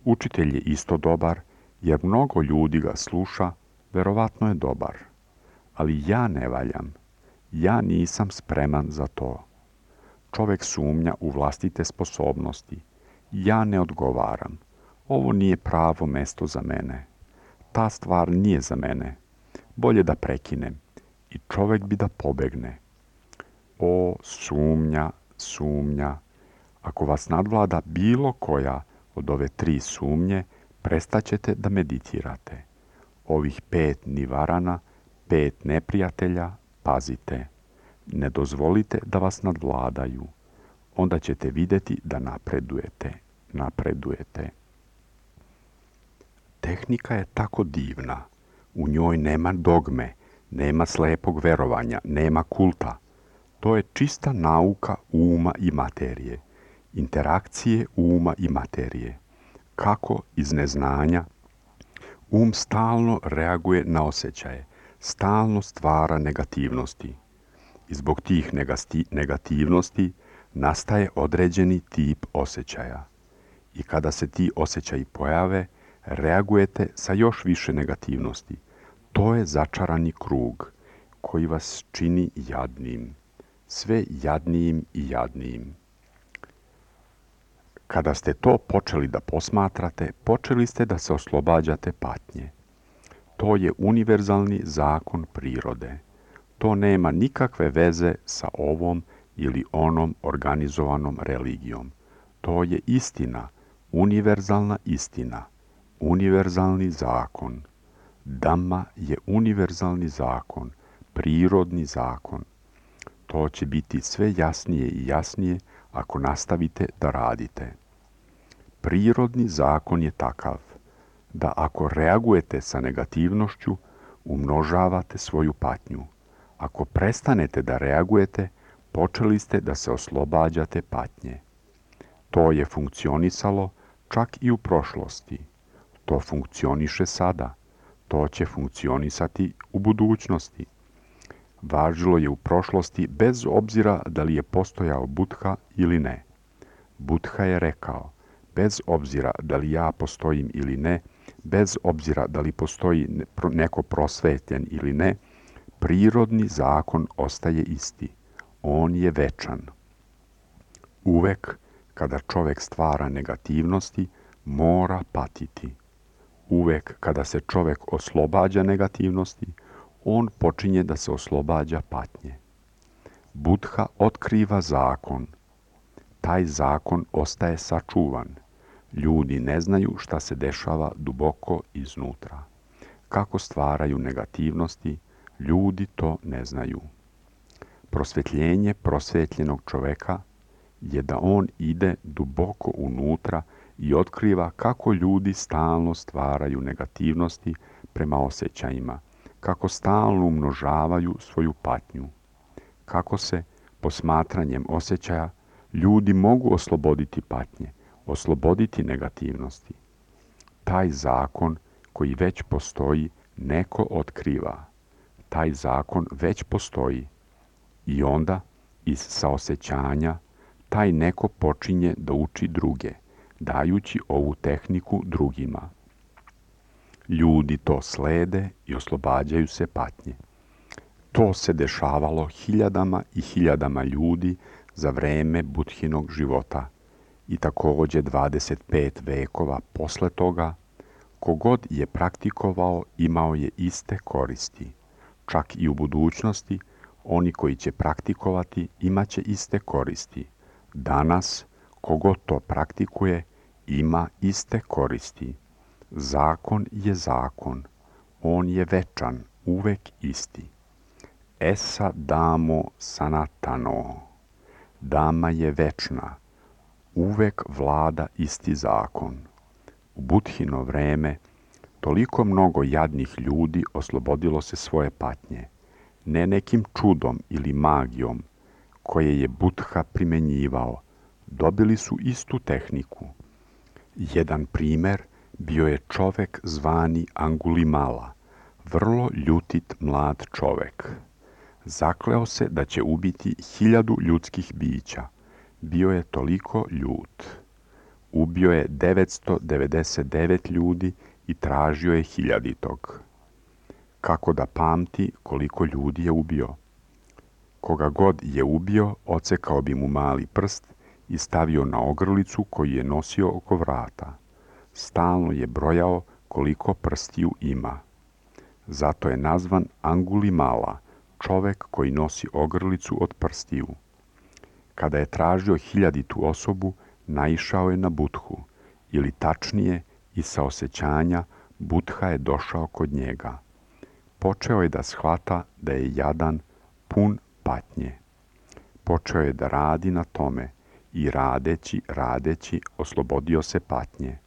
Učitelj je isto dobar, jer mnogo ljudi ga sluša, Verovatno je dobar, ali ja ne valjam. Ja nisam spreman za to. Čovek sumnja u vlastite sposobnosti. Ja ne odgovaram. Ovo nije pravo mesto za mene. Ta stvar nije za mene. Bolje da prekinem. I čovek bi da pobegne. O, sumnja, sumnja. Ako vas nadvlada bilo koja od ove 3 sumnje, prestaćete da meditirate. Ovih 5 nivarana, 5 neprijatelja, pazite. Ne dozvolite da vas nadvladaju. Onda ćete vidjeti da napredujete. Tehnika je tako divna. U njoj nema dogme, nema slepog verovanja, nema kulta. To je čista nauka uma i materije. Interakcije uma i materije. Kako iz neznanja stalno reaguje na osjećaje, stalno stvara negativnosti. I zbog tih negativnosti nastaje određeni tip osjećaja. I kada se ti osjećaji pojave, reagujete sa još više negativnosti. To je začarani krug koji vas čini jadnim. Sve jadnijim i jadnijim. Kada ste to počeli da posmatrate, počeli ste da se oslobađate patnje. To je univerzalni zakon prirode. To nema nikakve veze sa ovom ili onom organizovanom religijom. To je istina, univerzalna istina, univerzalni zakon. Dhamma je univerzalni zakon, prirodni zakon. To će biti sve jasnije i jasnije ako nastavite da radite. Prirodni zakon je takav da ako reagujete sa negativnošću, umnožavate svoju patnju. Ako prestanete da reagujete, počeli ste da se oslobađate patnje. To je funkcionisalo čak i u prošlosti. To funkcioniše sada. To će funkcionisati u budućnosti. Važilo je u prošlosti bez obzira da li je postojao Buddha ili ne. Buddha je rekao, bez obzira da li ja postojim ili ne, bez obzira da li postoji neko prosvetljen ili ne, prirodni zakon ostaje isti. On je večan. Uvek kada čovek stvara negativnosti, mora patiti. Uvek kada se čovek oslobađa negativnosti, on počinje da se oslobađa patnje. Buddha otkriva zakon. Taj zakon ostaje sačuvan. Ljudi ne znaju šta se dešava duboko iznutra. Kako stvaraju negativnosti, ljudi to ne znaju. Prosvetljenje prosvetljenog čoveka je da on ide duboko unutra i otkriva kako ljudi stalno stvaraju negativnosti prema osjećajima, kako stalno umnožavaju svoju patnju, kako se posmatranjem osjećaja ljudi mogu osloboditi patnje, osloboditi negativnosti. Taj zakon koji već postoji neko otkriva. Taj zakon već postoji i onda iz saosećanja taj neko počinje da uči druge, dajući ovu tehniku drugima. Ljudi to slede i oslobađaju se patnje. To se dešavalo hiljadama i hiljadama ljudi za vreme Budhinog života i takođe 25 vekova posle toga, kogod je praktikovao imao je iste koristi. Čak i u budućnosti, oni koji će praktikovati imaće iste koristi. Danas, kogod to praktikuje, ima iste koristi. Zakon je zakon. On je večan, uvek isti. Esa damo sanatano. Dama je večna. Uvek vlada isti zakon. U Budhino vreme toliko mnogo jadnih ljudi oslobodilo se svoje patnje. Ne nekim čudom ili magijom koje je Buddha primenjivao. Dobili su istu tehniku. Jedan primer bio je čovek zvani Angulimala, vrlo ljutit mlad čovek. Zakleo se da će ubiti 1000 ljudskih bića. Bio je toliko ljut. Ubio je 999 ljudi i tražio je 1000. kako da pamti koliko ljudi je ubio. Koga god je ubio, odsekao bi mu mali prst i stavio na ogrlicu koju je nosio oko vrata. Stalno je brojao koliko prstiju ima. Zato je nazvan Angulimala, čovek koji nosi ogrlicu od prstiju. Kada je tražio 1000. osobu, naišao je na Budhu, ili tačnije, iz saosećanja, Budha je došao kod njega. Počeo je da shvata da je jadan, pun patnje. Počeo je da radi na tome i radeći, oslobodio se patnje.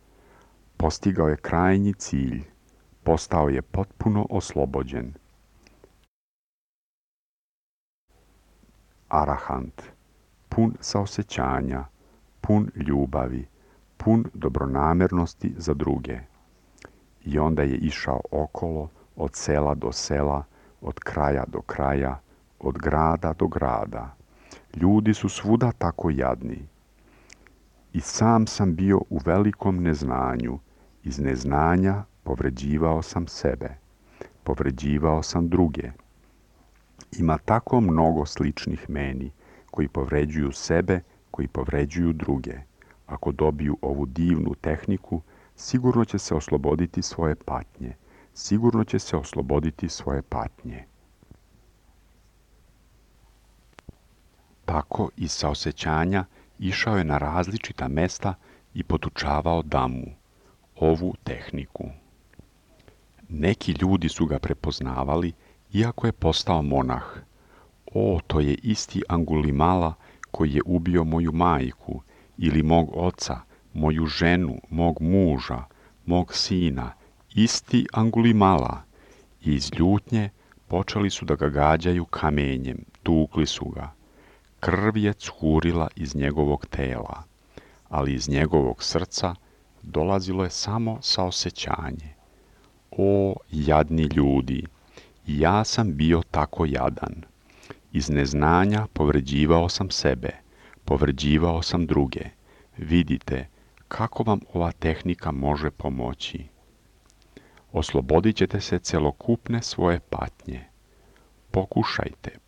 Postigao je krajnji cilj, postao je potpuno oslobođen. Arahant, pun saosećanja, pun ljubavi, pun dobronamernosti za druge. I onda je išao okolo, od sela do sela, od kraja do kraja, od grada do grada. Ljudi su svuda tako jadni. I sam sam bio u velikom neznanju. Iz neznanja povređivao sam sebe. Povređivao sam druge. Ima tako mnogo sličnih meni, koji povređuju sebe, koji povređuju druge. Ako dobiju ovu divnu tehniku, sigurno će se osloboditi svoje patnje. Sigurno će se osloboditi svoje patnje. Tako iz saosećanja išao je na različita mesta i podučavao Damu, ovu tehniku. Neki ljudi su ga prepoznavali, iako je postao monah. O, to je isti Angulimala koji je ubio moju majku, ili mog oca, moju ženu, mog muža, mog sina, isti Angulimala. I iz ljutnje počeli su da ga gađaju kamenjem, tukli su ga. Krv je curila iz njegovog tela, ali iz njegovog srca dolazilo je samo saosećanje. O, jadni ljudi, i ja sam bio tako jadan. Iz neznanja povređivao sam sebe, povređivao sam druge. Vidite kako vam ova tehnika može pomoći. Oslobodit ćete se celokupne svoje patnje.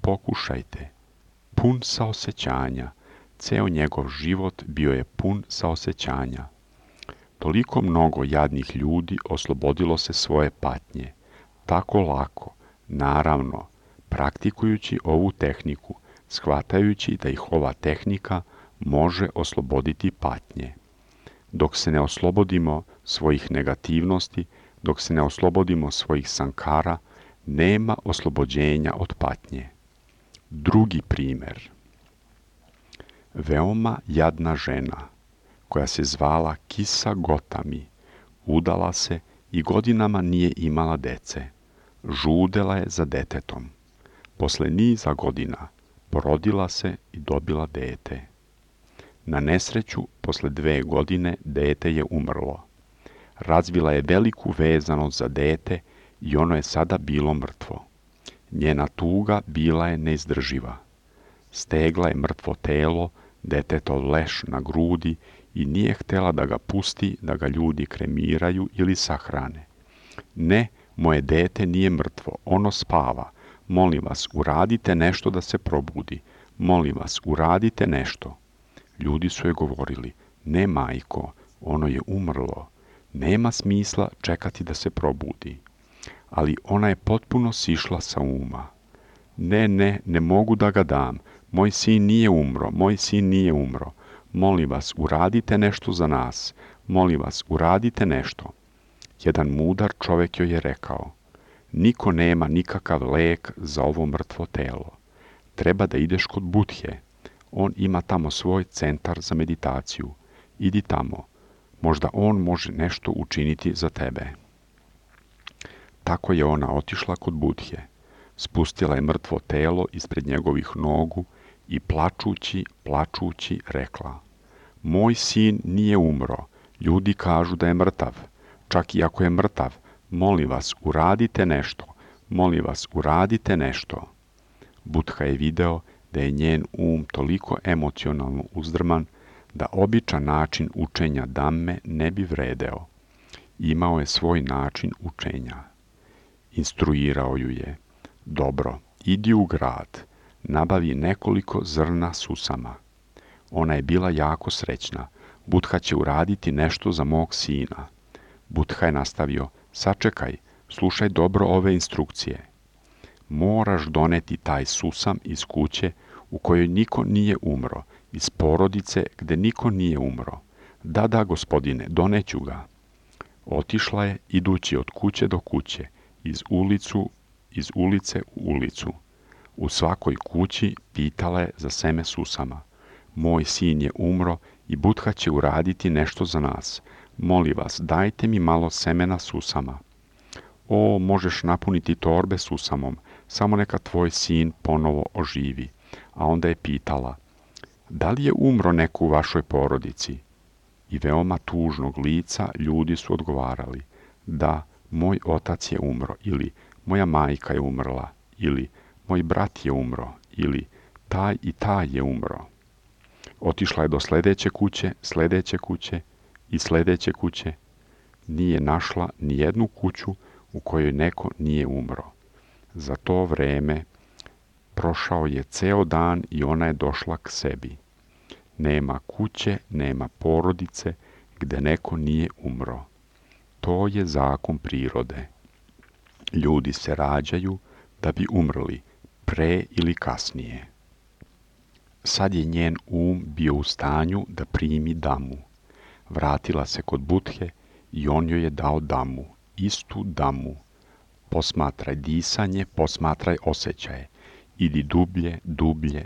Pokušajte. Pun saosećanja, ceo njegov život bio je pun saosećanja. Toliko mnogo jadnih ljudi oslobodilo se svoje patnje. Tako lako, naravno, praktikujući ovu tehniku, shvatajući da ih ova tehnika može osloboditi patnje. Dok se ne oslobodimo svojih negativnosti, dok se ne oslobodimo svojih sankara, nema oslobođenja od patnje. Drugi primjer. Veoma jadna žena, koja se zvala Kisa Gotami, udala se i godinama nije imala dece. Žudela je za detetom. Posle niza godina porodila se i dobila dete. Na nesreću, posle 2 godine, dete je umrlo. Razvila je veliku vezanost za dete i ono je sada bilo mrtvo. Njena tuga bila je neizdrživa. Stegla je mrtvo telo, detetov leš na grudi i nije htjela da ga pusti, da ga ljudi kremiraju ili sahrane. Ne, moje dete nije mrtvo, ono spava. Molim vas, uradite nešto da se probudi. Molim vas, uradite nešto. Ljudi su joj govorili, ne majko, ono je umrlo. Nema smisla čekati da se probudi. Ali ona je potpuno sišla sa uma. Ne mogu da ga dam. Moj sin nije umro. Molim vas, uradite nešto za nas. Molim vas, uradite nešto. Jedan mudar čovjek joj je rekao, niko nema nikakav lek za ovo mrtvo telo. Treba da ideš kod Budhe. On ima tamo svoj centar za meditaciju. Idi tamo. Možda on može nešto učiniti za tebe. Tako je ona otišla kod Budhe. Spustila je mrtvo telo ispred njegovih nogu i plačući rekla, moj sin nije umro. Ljudi kažu da je mrtav. Čak i ako je mrtav, molim vas, uradite nešto. Molim vas, uradite nešto. Budha je video da je njen toliko emocionalno uzdrman da običan način učenja Dhamme ne bi vredeo. Imao je svoj način učenja. Instruirao ju je: dobro, idi u grad, nabavi nekoliko zrna susama. Ona je bila jako srećna. Budha će uraditi nešto za mog sina. Budha je nastavio: sačekaj, slušaj dobro ove instrukcije. Moraš doneti taj susam iz kuće u kojoj niko nije umro, iz porodice gde niko nije umro. Da, gospodine, doneću ga. Otišla je, idući od kuće do kuće, iz ulice u ulicu. U svakoj kući pitala je za seme susama. Moj sin je umro i Budha će uraditi nešto za nas. Molim vas, dajte mi malo semena susama. O, možeš napuniti torbe susamom, samo neka tvoj sin ponovo oživi. A onda je pitala: da li je umro neko u vašoj porodici? I veoma tužnog lica ljudi su odgovarali: da, moj otac je umro, ili moja majka je umrla, ili moj brat je umro, ili taj i taj je umro. Otišla je do sledeće kuće i sledeće kuće. Nije našla ni jednu kuću u kojoj neko nije umro. Za to vreme prošao je ceo dan i ona je došla k sebi. Nema kuće, nema porodice gde neko nije umro. To je zakon prirode. Ljudi se rađaju da bi umrli, pre ili kasnije. Sad je njen bio u stanju da primi damu. Vratila se kod Budhe i on joj je dao damu, istu damu. Posmatraj disanje, posmatraj osjećaje. Idi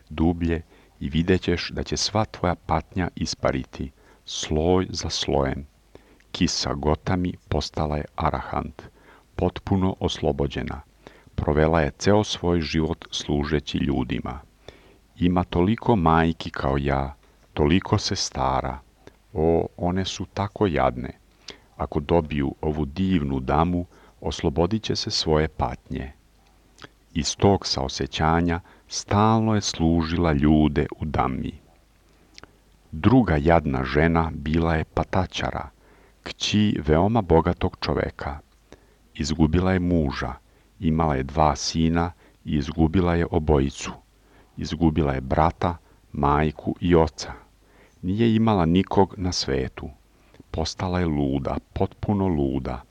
dublje i vidjet ćeš da će sva tvoja patnja ispariti, sloj za slojem. Kisa Gotami postala je arahant, potpuno oslobođena. Provela je ceo svoj život služeći ljudima. Ima toliko majki kao ja, toliko sestara. O, one su tako jadne. Ako dobiju ovu divnu damu, oslobodit će se svoje patnje. Iz tog saosećanja stalno je služila ljude u dami. Druga jadna žena bila je Patačara, kći veoma bogatog čoveka. Izgubila je muža, imala je 2 sina i izgubila je obojicu. Izgubila je brata, majku i oca. Nije imala nikog na svetu. Postala je luda, potpuno luda.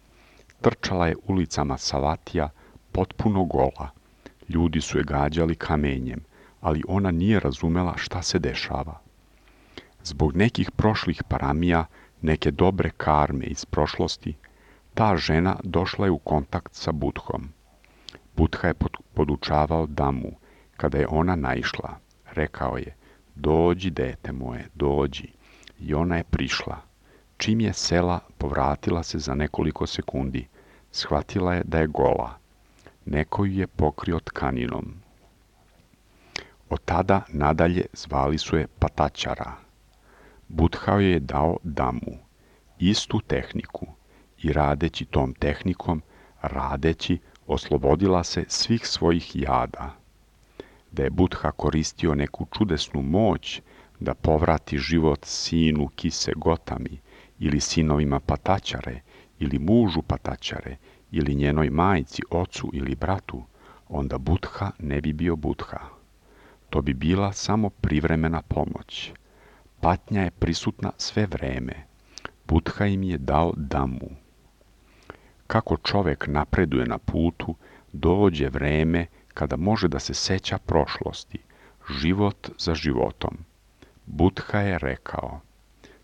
Trčala je ulicama Savatija, potpuno gola. Ljudi su je gađali kamenjem, ali ona nije razumela šta se dešava. Zbog nekih prošlih paramija, neke dobre karme iz prošlosti, ta žena došla je u kontakt sa Budhom. Budha je podučavao damu. Kada je ona naišla, rekao je: dođi, dete moje, dođi. I ona je prišla. Čim je sela, povratila se za nekoliko sekundi. Shvatila je da je gola. Neko ju je pokrio tkaninom. Od tada nadalje zvali su je Patačara. Budha joj je dao damu, istu tehniku, i radeći tom tehnikom, oslobodila se svih svojih jada. Da je Budha koristio neku čudesnu moć da povrati život sinu Kise Gotami ili sinovima Patačare ili mužu Patačare ili njenoj majci, ocu ili bratu, onda Budha ne bi bio Budha. To bi bila samo privremena pomoć. Patnja je prisutna sve vreme. Budha im je dao damu. Kako čovek napreduje na putu, dođe vreme kada može da se seća prošlosti, život za životom. Budha je rekao: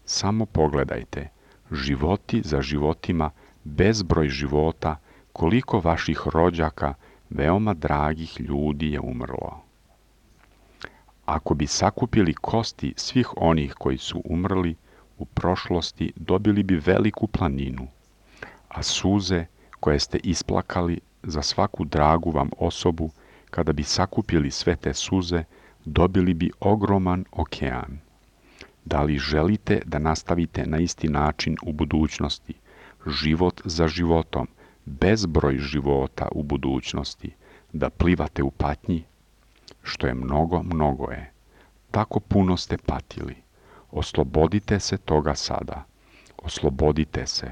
samo pogledajte, životi za životima, bezbroj života, koliko vaših rođaka, veoma dragih ljudi je umrlo. Ako bi sakupili kosti svih onih koji su umrli u prošlosti, dobili bi veliku planinu, a suze koje ste isplakali za svaku dragu vam osobu, kada bi sakupili sve te suze, dobili bi ogroman okean. Da li želite da nastavite na isti način u budućnosti, život za životom, bezbroj života u budućnosti, da plivate u patnji? Što je mnogo, mnogo je. Tako puno ste patili. Oslobodite se toga sada. Oslobodite se.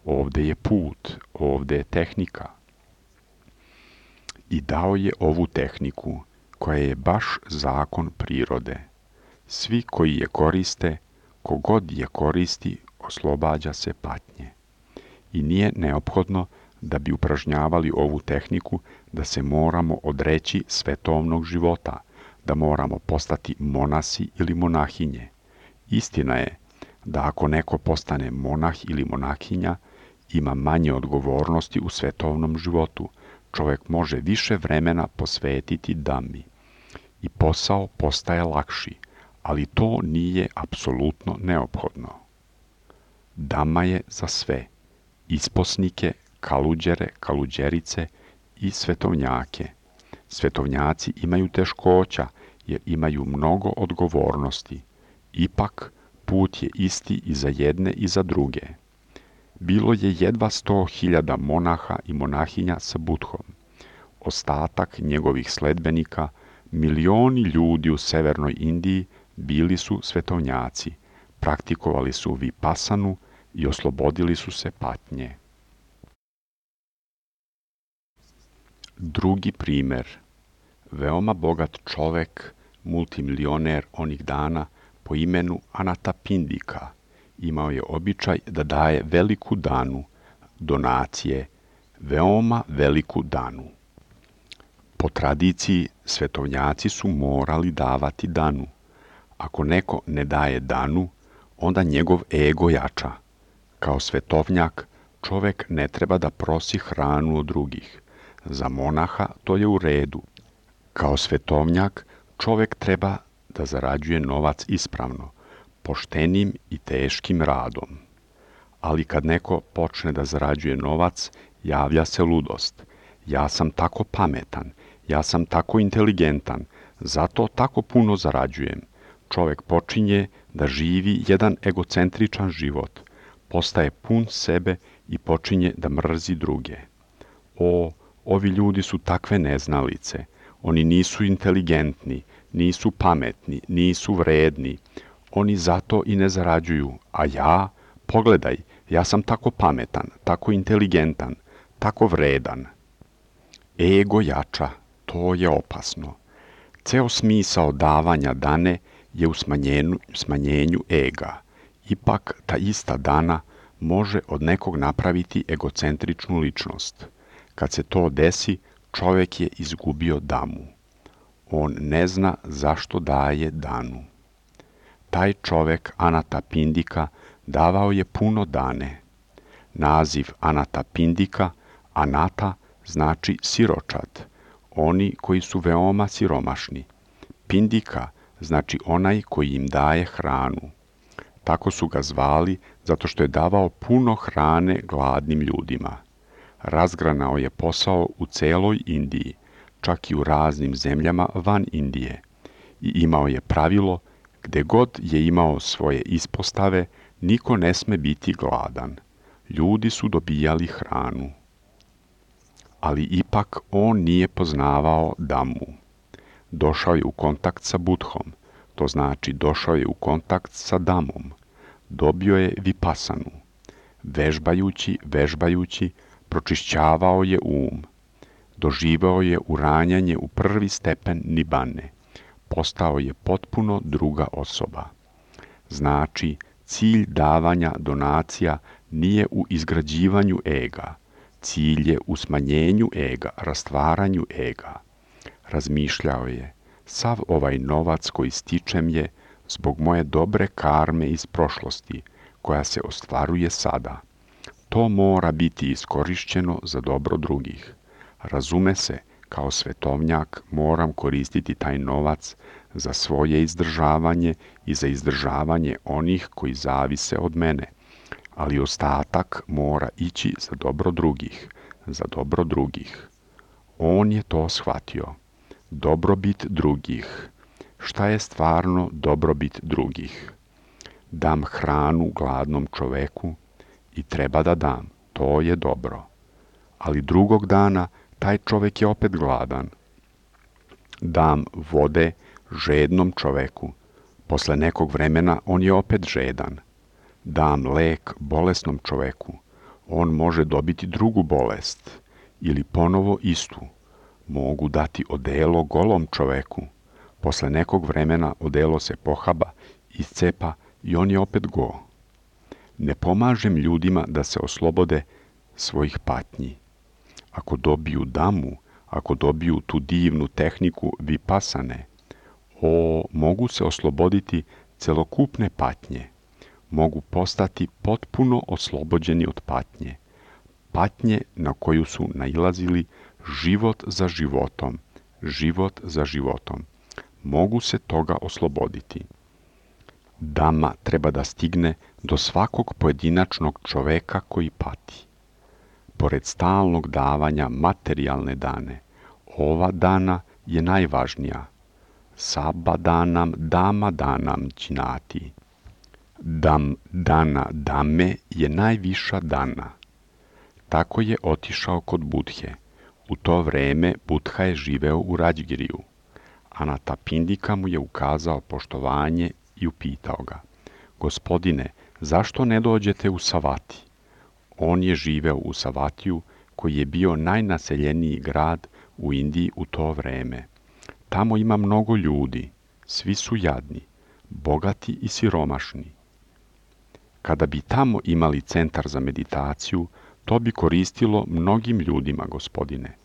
Ovde je put, ovde je tehnika. i dao je ovu tehniku, koja je baš zakon prirode. Svi koji je koriste, kogod je koristi, oslobađa se patnje. I nije neophodno da bi upražnjavali ovu tehniku da se moramo odreći svetovnog života, da moramo postati monasi ili monahinje. Istina je da ako neko postane monah ili monahinja, ima manje odgovornosti u svetovnom životu, čovjek može više vremena posvetiti dami. I posao postaje lakši, ali to nije apsolutno neophodno. Dama je za sve, isposnike, kaluđere, kaluđerice i svetovnjake. Svetovnjaci imaju teškoća jer imaju mnogo odgovornosti. Ipak, put je isti i za jedne i za druge. Bilo je jedva 100.000 monaha i monahinja sa Budhom. Ostatak njegovih sledbenika, milioni ljudi u severnoj Indiji, bili su svetovnjaci, praktikovali su vipasanu i oslobodili su se patnje. Drugi primjer. Veoma bogat čovek, multimilioner onih dana, po imenu Anatapindika, imao je običaj da daje veliku danu, donacije, veoma veliku danu. Po tradiciji, svetovnjaci su morali davati danu. Ako neko ne daje danu, onda njegov ego jača. Kao svetovnjak, čovek ne treba da prosi hranu od drugih. Za monaha to je u redu. Kao svetovnjak, čovek treba da zarađuje novac ispravno, poštenim i teškim radom. Ali kad neko počne da zarađuje novac, javlja se ludost. Ja sam tako pametan, ja sam tako inteligentan, zato tako puno zarađujem. Čovek počinje da živi jedan egocentričan život, postaje pun sebe i počinje da mrzi druge. Ovi ljudi su takve neznalice, oni nisu inteligentni, nisu pametni, nisu vredni, oni zato i ne zarađuju, a ja, pogledaj, ja sam tako pametan, tako inteligentan, tako vredan. Ego jača, to je opasno. Ceo smisao davanja dane je u smanjenju ega. Ipak ta ista dana može od nekog napraviti egocentričnu ličnost. Kad se to desi, čovjek je izgubio damu. On ne zna zašto daje danu. Taj čovjek Anatapindika davao je puno dane. Naziv Anatapindika, Anata, znači siročad, oni koji su veoma siromašni. Pindika znači onaj koji im daje hranu. Tako su ga zvali zato što je davao puno hrane gladnim ljudima. Razgranao je posao u celoj Indiji, čak i u raznim zemljama van Indije. I imao je pravilo, gde god je imao svoje ispostave, niko ne sme biti gladan. Ljudi su dobijali hranu. Ali ipak on nije poznavao damu. Došao je u kontakt sa Budhom, to znači došao je u kontakt sa damom. Dobio je vipasanu. Vežbajući, pročišćavao je doživao je uranjanje u prvi stepen nibane, postao je potpuno druga osoba. Znači, cilj davanja donacija nije u izgrađivanju ega, cilj je u smanjenju ega, rastvaranju ega. Razmišljao je, sav ovaj novac koji stičem je zbog moje dobre karme iz prošlosti, koja se ostvaruje sada. To mora biti iskorišćeno za dobro drugih. Razume se, kao svetovnjak moram koristiti taj novac za svoje izdržavanje i za izdržavanje onih koji zavise od mene, ali ostatak mora ići za dobro drugih. On je to shvatio. Dobrobit drugih. Šta je stvarno dobrobit drugih? Dam hranu gladnom čoveku i treba da dam, to je dobro. Ali drugog dana taj čovek je opet gladan. Dam vode žednom čoveku. Posle nekog vremena on je opet žedan. Dam lek bolesnom čoveku. On može dobiti drugu bolest ili ponovo istu. Mogu dati odelo golom čoveku. Posle nekog vremena odelo se pohaba, iscepa i on je opet go. Ne pomažem ljudima da se oslobode svojih patnji. Ako dobiju damu, ako dobiju tu divnu tehniku vipasane, mogu se osloboditi celokupne patnje. Mogu postati potpuno oslobođeni od patnje. Patnje na koju su nailazili život za životom, život za životom. Mogu se toga osloboditi. Dama treba da stigne do svakog pojedinačnog čoveka koji pati. Pored stalnog davanja materijalne dane, ova dana je najvažnija. Saba danam, dama danam činati. Dana dame je najviša dana. Tako je otišao kod Budhe. U to vreme Budha je živeo u Rađgiriju. Anatapindika mu je ukazao poštovanje i upitao ga: Gospodine, zašto ne dođete u Savati? On je živeo u Savatiju, koji je bio najnaseljeniji grad u Indiji u to vreme. Tamo ima mnogo ljudi, svi su jadni, bogati i siromašni. Kada bi tamo imali centar za meditaciju, to bi koristilo mnogim ljudima, gospodine.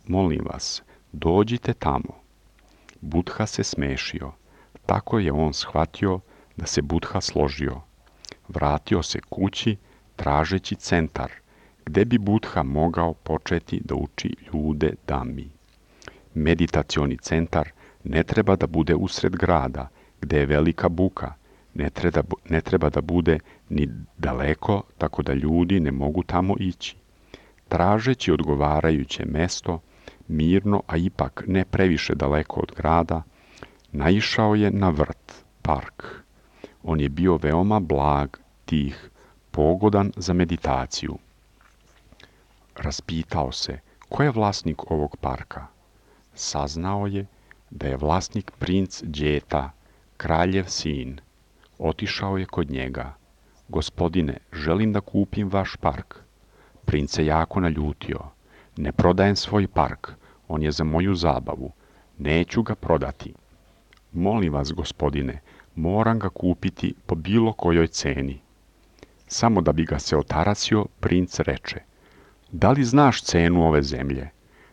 Molim vas, dođite tamo. Budha se smešio. Tako je on shvatio da se Budha složio. Vratio se kući tražeći centar, gde bi Budha mogao početi da uči ljude dami. Meditacioni centar ne treba da bude usred grada, gde je velika buka. Ne treba da bude ni daleko, tako da ljudi ne mogu tamo ići. Tražeći odgovarajuće mesto, mirno, a ipak ne previše daleko od grada, naišao je na vrt, park. On je bio veoma blag, tih, pogodan za meditaciju. Raspitao se, ko je vlasnik ovog parka? Saznao je da je vlasnik princ Đeta, kraljev sin. Otišao je kod njega. Gospodine, želim da kupim vaš park. Princ se jako naljutio. Ne prodajem svoj park, on je za moju zabavu. Neću ga prodati. Molim vas, gospodine, moram ga kupiti po bilo kojoj ceni. Samo da bi ga se otarasio, princ reče: Da li znaš cenu ove zemlje?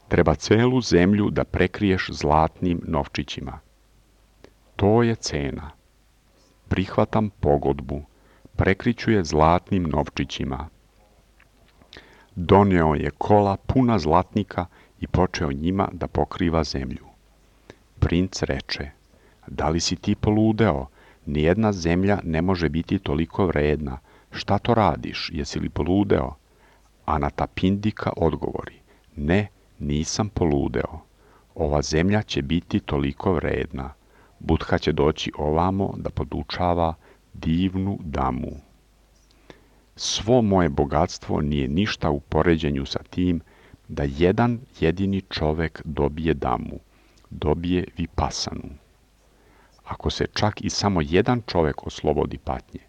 Treba celu zemlju da prekriješ zlatnim novčićima. To je cena. Prihvatam pogodbu. Prekriću je zlatnim novčićima. Doneo je kola puna zlatnika i počeo njima da pokriva zemlju. Princ reče: Da li si ti poludeo? Nijedna zemlja ne može biti toliko vredna. Šta to radiš? Jesi li poludeo? Anatapindika odgovori: Ne, nisam poludeo. Ova zemlja će biti toliko vredna. Budha će doći ovamo da podučava divnu damu. Svo moje bogatstvo nije ništa u poređenju sa tim da jedan jedini čovek dobije damu, dobije vipasanu. Ako se čak i samo jedan čovek oslobodi patnje,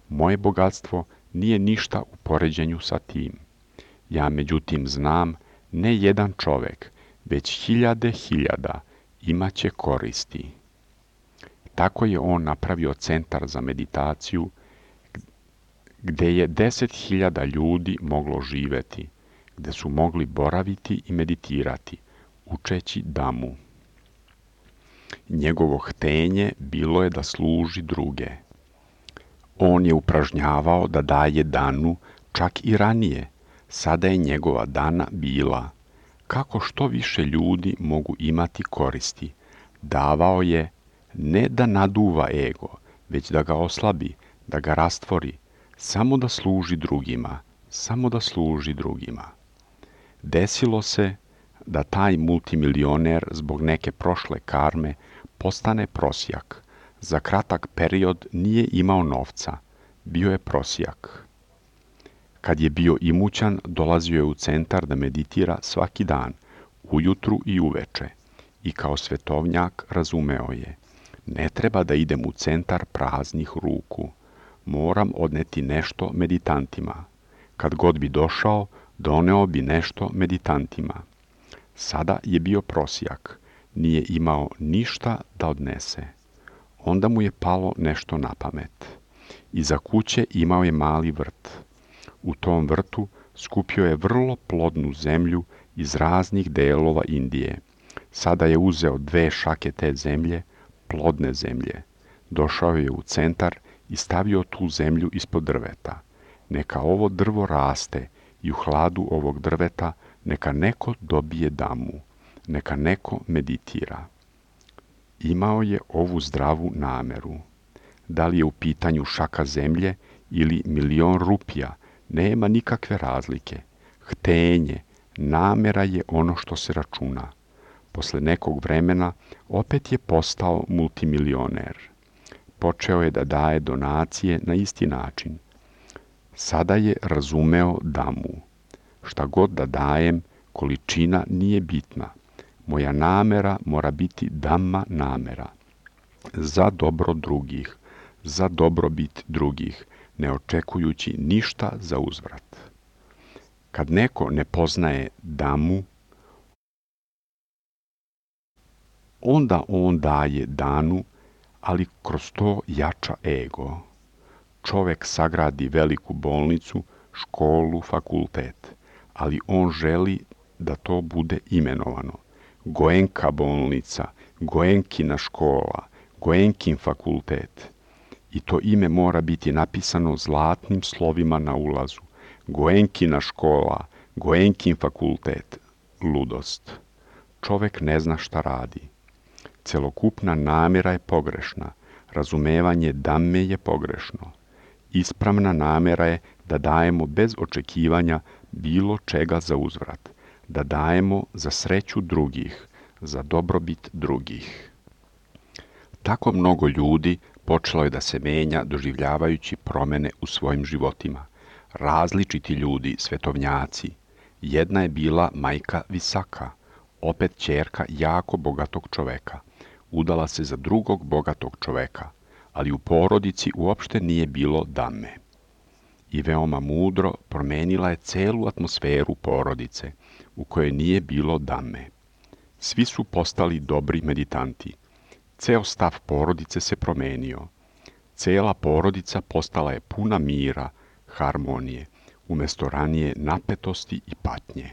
moje bogatstvo nije ništa u poređenju sa tim. Ja međutim znam, ne jedan čovek, već hiljade hiljada imaće koristi. Tako je on napravio centar za meditaciju, gde je 10.000 ljudi moglo živeti, gde su mogli boraviti i meditirati, učeći damu. Njegovo htenje bilo je da služi druge. On je upražnjavao da daje danu čak i ranije. Sada je njegova dana bila: kako što više ljudi mogu imati koristi. Davao je ne da naduva ego, već da ga oslabi, da ga rastvori, samo da služi drugima, samo da služi drugima. Desilo se da taj multimilioner zbog neke prošle karme postane prosjak. Za kratak period nije imao novca, bio je prosjak. Kad je bio imućan, dolazio je u centar da meditira svaki dan, ujutru i uveče, i kao svetovnjak razumeo je: ne treba da idem u centar praznih ruku, moram odneti nešto meditantima. Kad god bi došao, doneo bi nešto meditantima. Sada je bio prosjak, nije imao ništa da odnese. Onda mu je palo nešto na pamet. Iza kuće imao je mali vrt. U tom vrtu skupio je vrlo plodnu zemlju iz raznih delova Indije. Sada je uzeo 2 šake te zemlje, plodne zemlje. Došao je u centar i stavio tu zemlju ispod drveta. Neka ovo drvo raste i u hladu ovog drveta neka neko dobije damu, neka neko meditira. Imao je ovu zdravu nameru. Da li je u pitanju šaka zemlje ili 1.000.000 rupija, nema nikakve razlike. Htenje, namera je ono što se računa. Posle nekog vremena opet je postao multimilioner. Počeo je da daje donacije na isti način. Sada je razumeo damu. Šta god da dajem, količina nije bitna. Moja namera mora biti dhamma namera. Za dobro drugih, za dobrobit drugih, ne očekujući ništa za uzvrat. Kad neko ne poznaje damu, onda on daje danu, ali kroz to jača ego. Čovek sagradi veliku bolnicu, školu, fakultet, ali on želi da to bude imenovano. Goenka bolnica, Goenkina škola, Goenkin fakultet. I to ime mora biti napisano zlatnim slovima na ulazu. Goenkina škola, Goenkin fakultet. Ludost. Čovek ne zna šta radi. Celokupna namjera je pogrešna. Razumevanje dhamme je pogrešno. Ispravna namjera je da dajemo bez očekivanja bilo čega za uzvrat. Da dajemo za sreću drugih, za dobrobit drugih. Tako mnogo ljudi počelo je da se menja doživljavajući promene u svojim životima. Različiti ljudi, svetovnjaci. Jedna je bila majka Visaka, opet ćerka jako bogatog čoveka. Udala se za drugog bogatog čoveka, ali u porodici uopšte nije bilo dhamme. I veoma mudro promenila je celu atmosferu porodice, u kojoj nije bilo dhamme. Svi su postali dobri meditanti. Ceo stav porodice se promenio. Cela porodica postala je puna mira, harmonije, umjesto ranije napetosti i patnje.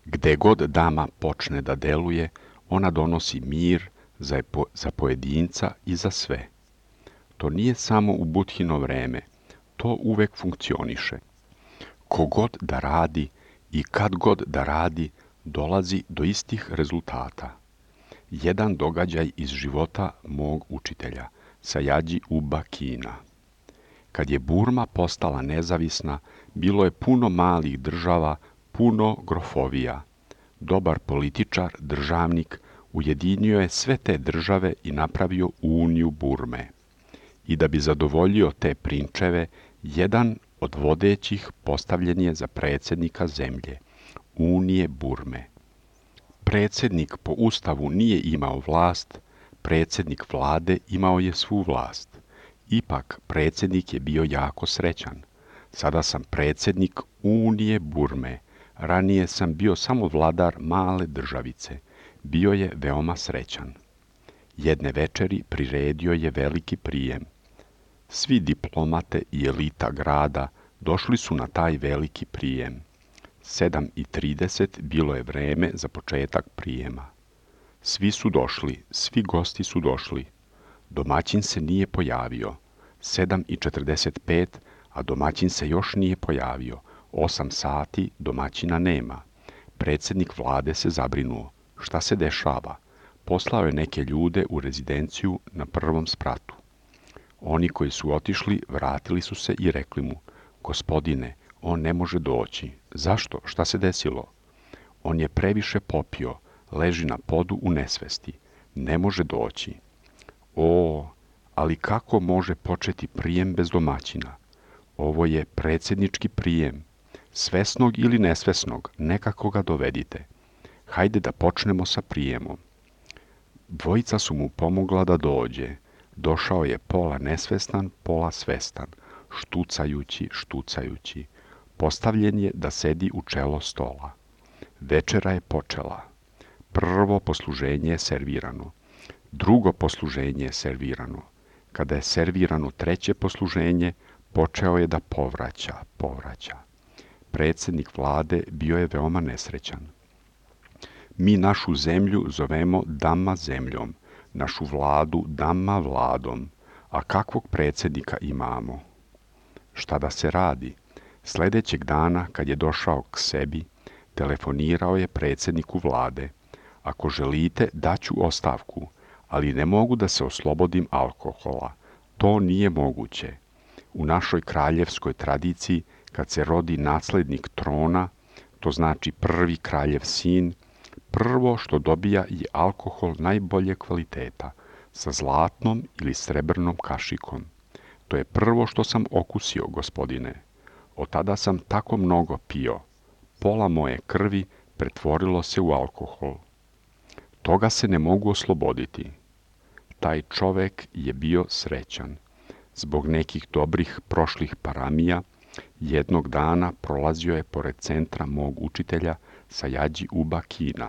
Gde god dama počne da deluje, ona donosi mir za pojedinca i za sve. To nije samo u Budhino vreme, to uvek funkcioniše. Kogod da radi i kad god da radi, dolazi do istih rezultata. Jedan događaj iz života mog učitelja, Sajađi Uba Kina. Kad je Burma postala nezavisna, bilo je puno malih država, puno grofovija. Dobar političar, državnik, ujedinio je sve te države i napravio uniju Burme. I da bi zadovoljio te prinčeve, jedan od vodećih postavljen je za predsjednika zemlje, Unije Burme. Predsjednik po ustavu nije imao vlast, predsjednik vlade imao je svu vlast. Ipak predsjednik je bio jako srećan. Sada sam predsjednik Unije Burme, ranije sam bio samo vladar male državice. Bio je veoma srećan. Jedne večeri priredio je veliki prijem. Svi diplomate i elita grada došli su na taj veliki prijem. 7:30 bilo je vreme za početak prijema. Svi su došli, svi gosti su došli. Domaćin se nije pojavio. 7:45, a domaćin se još nije pojavio. 8 sati domaćina nema. Predsjednik vlade se zabrinuo. Šta se dešava? Poslao je neke ljude u rezidenciju na prvom spratu. Oni koji su otišli vratili su se i rekli mu: Gospodine, on ne može doći. Zašto? Šta se desilo? On je previše popio, leži na podu u nesvesti. Ne može doći. O, ali kako može početi prijem bez domaćina? Ovo je predsjednički prijem. Svesnog ili nesvesnog, nekako ga dovedite. Hajde da počnemo sa prijemom. Dvojica su mu pomogla da dođe. Došao je pola nesvestan, pola svestan, štucajući. Postavljen je da sedi u čelo stola. Večera je počela. Prvo posluženje je servirano. Drugo posluženje je servirano. Kada je servirano treće posluženje, počeo je da povraća. Predsjednik vlade bio je veoma nesrećan. Mi našu zemlju zovemo Dama zemljom, našu vladu Dama vladom, a kakvog predsjednika imamo? Šta da se radi? Sljedećeg dana, kad je došao k sebi, telefonirao je predsjedniku vlade. Ako želite, daću ostavku, ali ne mogu da se oslobodim alkohola. To nije moguće. U našoj kraljevskoj tradiciji, kad se rodi naslednik trona, to znači prvi kraljev sin, prvo što dobija je alkohol najbolje kvaliteta, sa zlatnom ili srebrnom kašikom. To je prvo što sam okusio, gospodine. Od tada sam tako mnogo pio. Pola moje krvi pretvorilo se u alkohol. Toga se ne mogu osloboditi. Taj čovek je bio srećan. Zbog nekih dobrih prošlih paramija, jednog dana prolazio je pored centra mog učitelja Sajađi Uba Kina.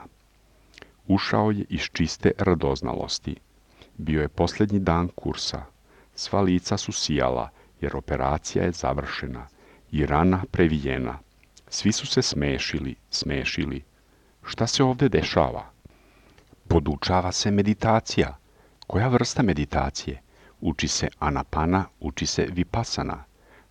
Ušao je iz čiste radoznalosti. Bio je posljednji dan kursa. Sva lica su sijala, jer operacija je završena i rana previjena. Svi su se smešili. Šta se ovdje dešava? Podučava se meditacija. Koja vrsta meditacije? Uči se anapana, uči se vipasana.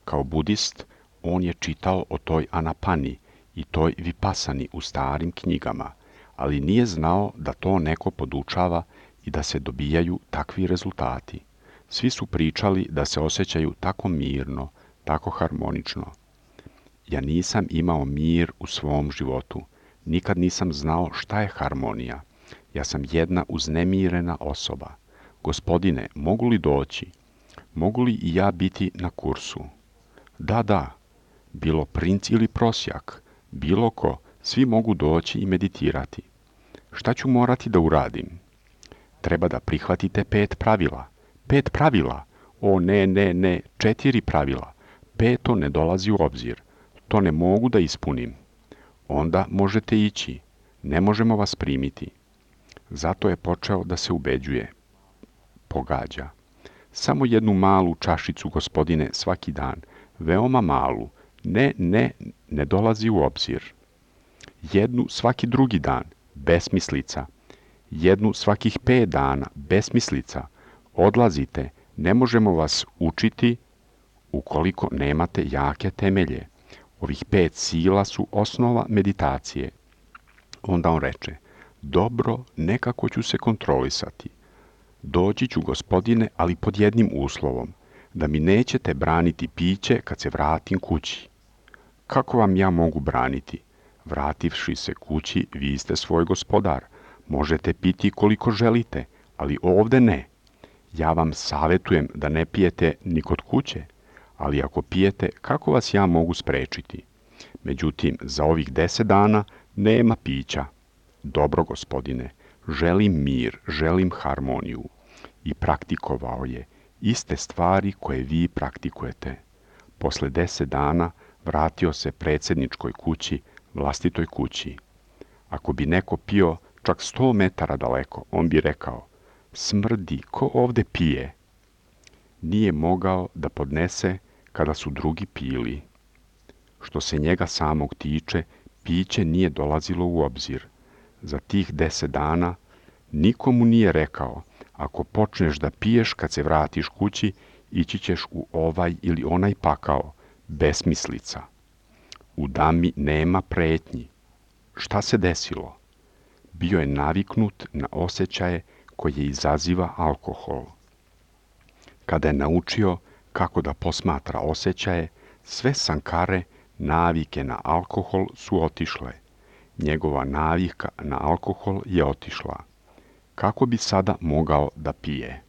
Kao budist, on je čitao o toj anapani i toj vipasani u starim knjigama, ali nije znao da to neko podučava i da se dobijaju takvi rezultati. Svi su pričali da se osjećaju tako mirno, tako harmonično. Ja nisam imao mir u svom životu. Nikad nisam znao šta je harmonija. Ja sam jedna uznemirena osoba. Gospodine, mogu li doći? Mogu li i ja biti na kursu? Da. Bilo princ ili prosjak, bilo ko, svi mogu doći i meditirati. Šta ću morati da uradim? Treba da prihvatite 5 pravila. 5 pravila? O ne, 4 pravila. 5 ne dolazi u obzir. To ne mogu da ispunim. Onda možete ići. Ne možemo vas primiti. Zato je počeo da se ubeđuje. Pogađa. Samo jednu malu čašicu, gospodine, svaki dan. Veoma malu. Ne dolazi u obzir. Jednu svaki drugi dan. Besmislica. Jednu svakih 5 dana. Besmislica. Odlazite. Ne možemo vas učiti ukoliko nemate jake temelje. Ovih 5 sila su osnova meditacije. Onda on reče, dobro, nekako ću se kontrolisati. Doći ću, gospodine, ali pod jednim uslovom, da mi nećete braniti piće kad se vratim kući. Kako vam ja mogu braniti? Vrativši se kući, vi ste svoj gospodar. Možete piti koliko želite, ali ovde ne. Ja vam savjetujem da ne pijete ni kod kuće, ali ako pijete, kako vas ja mogu sprečiti? Međutim, za ovih 10 dana nema pića. Dobro, gospodine, želim mir, želim harmoniju. I praktikovao je iste stvari koje vi praktikujete. Posle 10 dana vratio se predsjedničkoj kući, vlastitoj kući. Ako bi neko pio čak 100 metara daleko, on bi rekao, smrdi, ko ovde pije? Nije mogao da podnese kada su drugi pili. Što se njega samog tiče, piće nije dolazilo u obzir. Za tih 10 dana nikomu nije rekao, ako počneš da piješ kad se vratiš kući, ići ćeš u ovaj ili onaj pakao, besmislica. U dami nema pretnji. Šta se desilo? Bio je naviknut na osjećaje koje izaziva alkohol. Kada je naučio kako da posmatra osjećaje, sve sankare, navike na alkohol su otišle. Njegova navika na alkohol je otišla. Kako bi sada mogao da pije?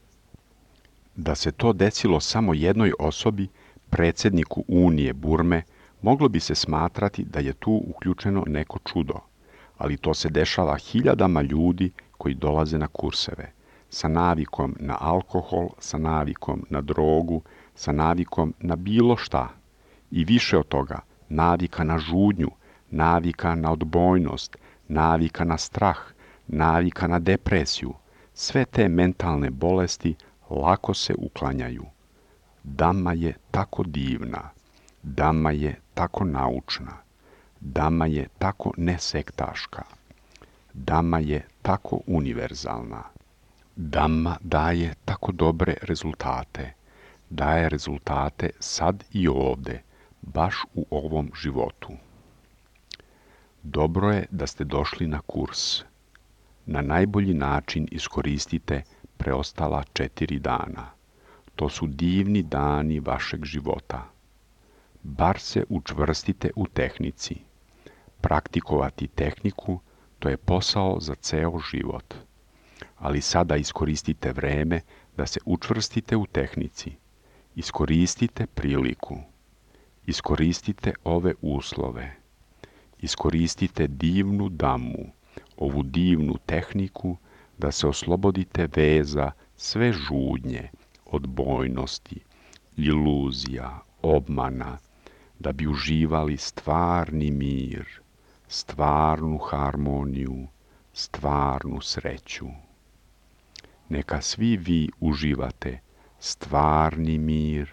Da se to desilo samo jednoj osobi, predsjedniku Unije Burme, moglo bi se smatrati da je tu uključeno neko čudo, ali to se dešava hiljadama ljudi koji dolaze na kurseve, sa navikom na alkohol, sa navikom na drogu, sa navikom na bilo šta. I više od toga, navika na žudnju, navika na odbojnost, navika na strah, navika na depresiju. Sve te mentalne bolesti lako se uklanjaju. Dhamma je tako divna, Dhamma je tako naučna, Dhamma je tako nesektaška, Dhamma je tako univerzalna. Dhamma daje tako dobre rezultate, daje rezultate sad i ovde, baš u ovom životu. Dobro je da ste došli na kurs. Na najbolji način iskoristite preostala 4 dana. To su divni dani vašeg života. Bar se učvrstite u tehnici. Praktikovati tehniku, to je posao za ceo život. Ali sada iskoristite vreme da se učvrstite u tehnici. Iskoristite priliku. Iskoristite ove uslove. Iskoristite divnu Dhammu, ovu divnu tehniku, da se oslobodite veza sve žudnje, odbojnosti, iluzija, obmana, da bi uživali stvarni mir, stvarnu harmoniju, stvarnu sreću. Neka svi vi uživate stvarni mir,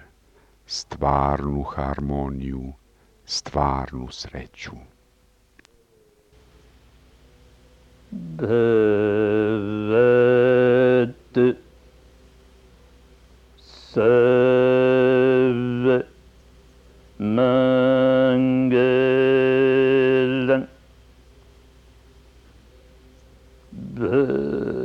stvarnu harmoniju, stvarnu sreću. Bhavad Sarva Mangalam Bhavad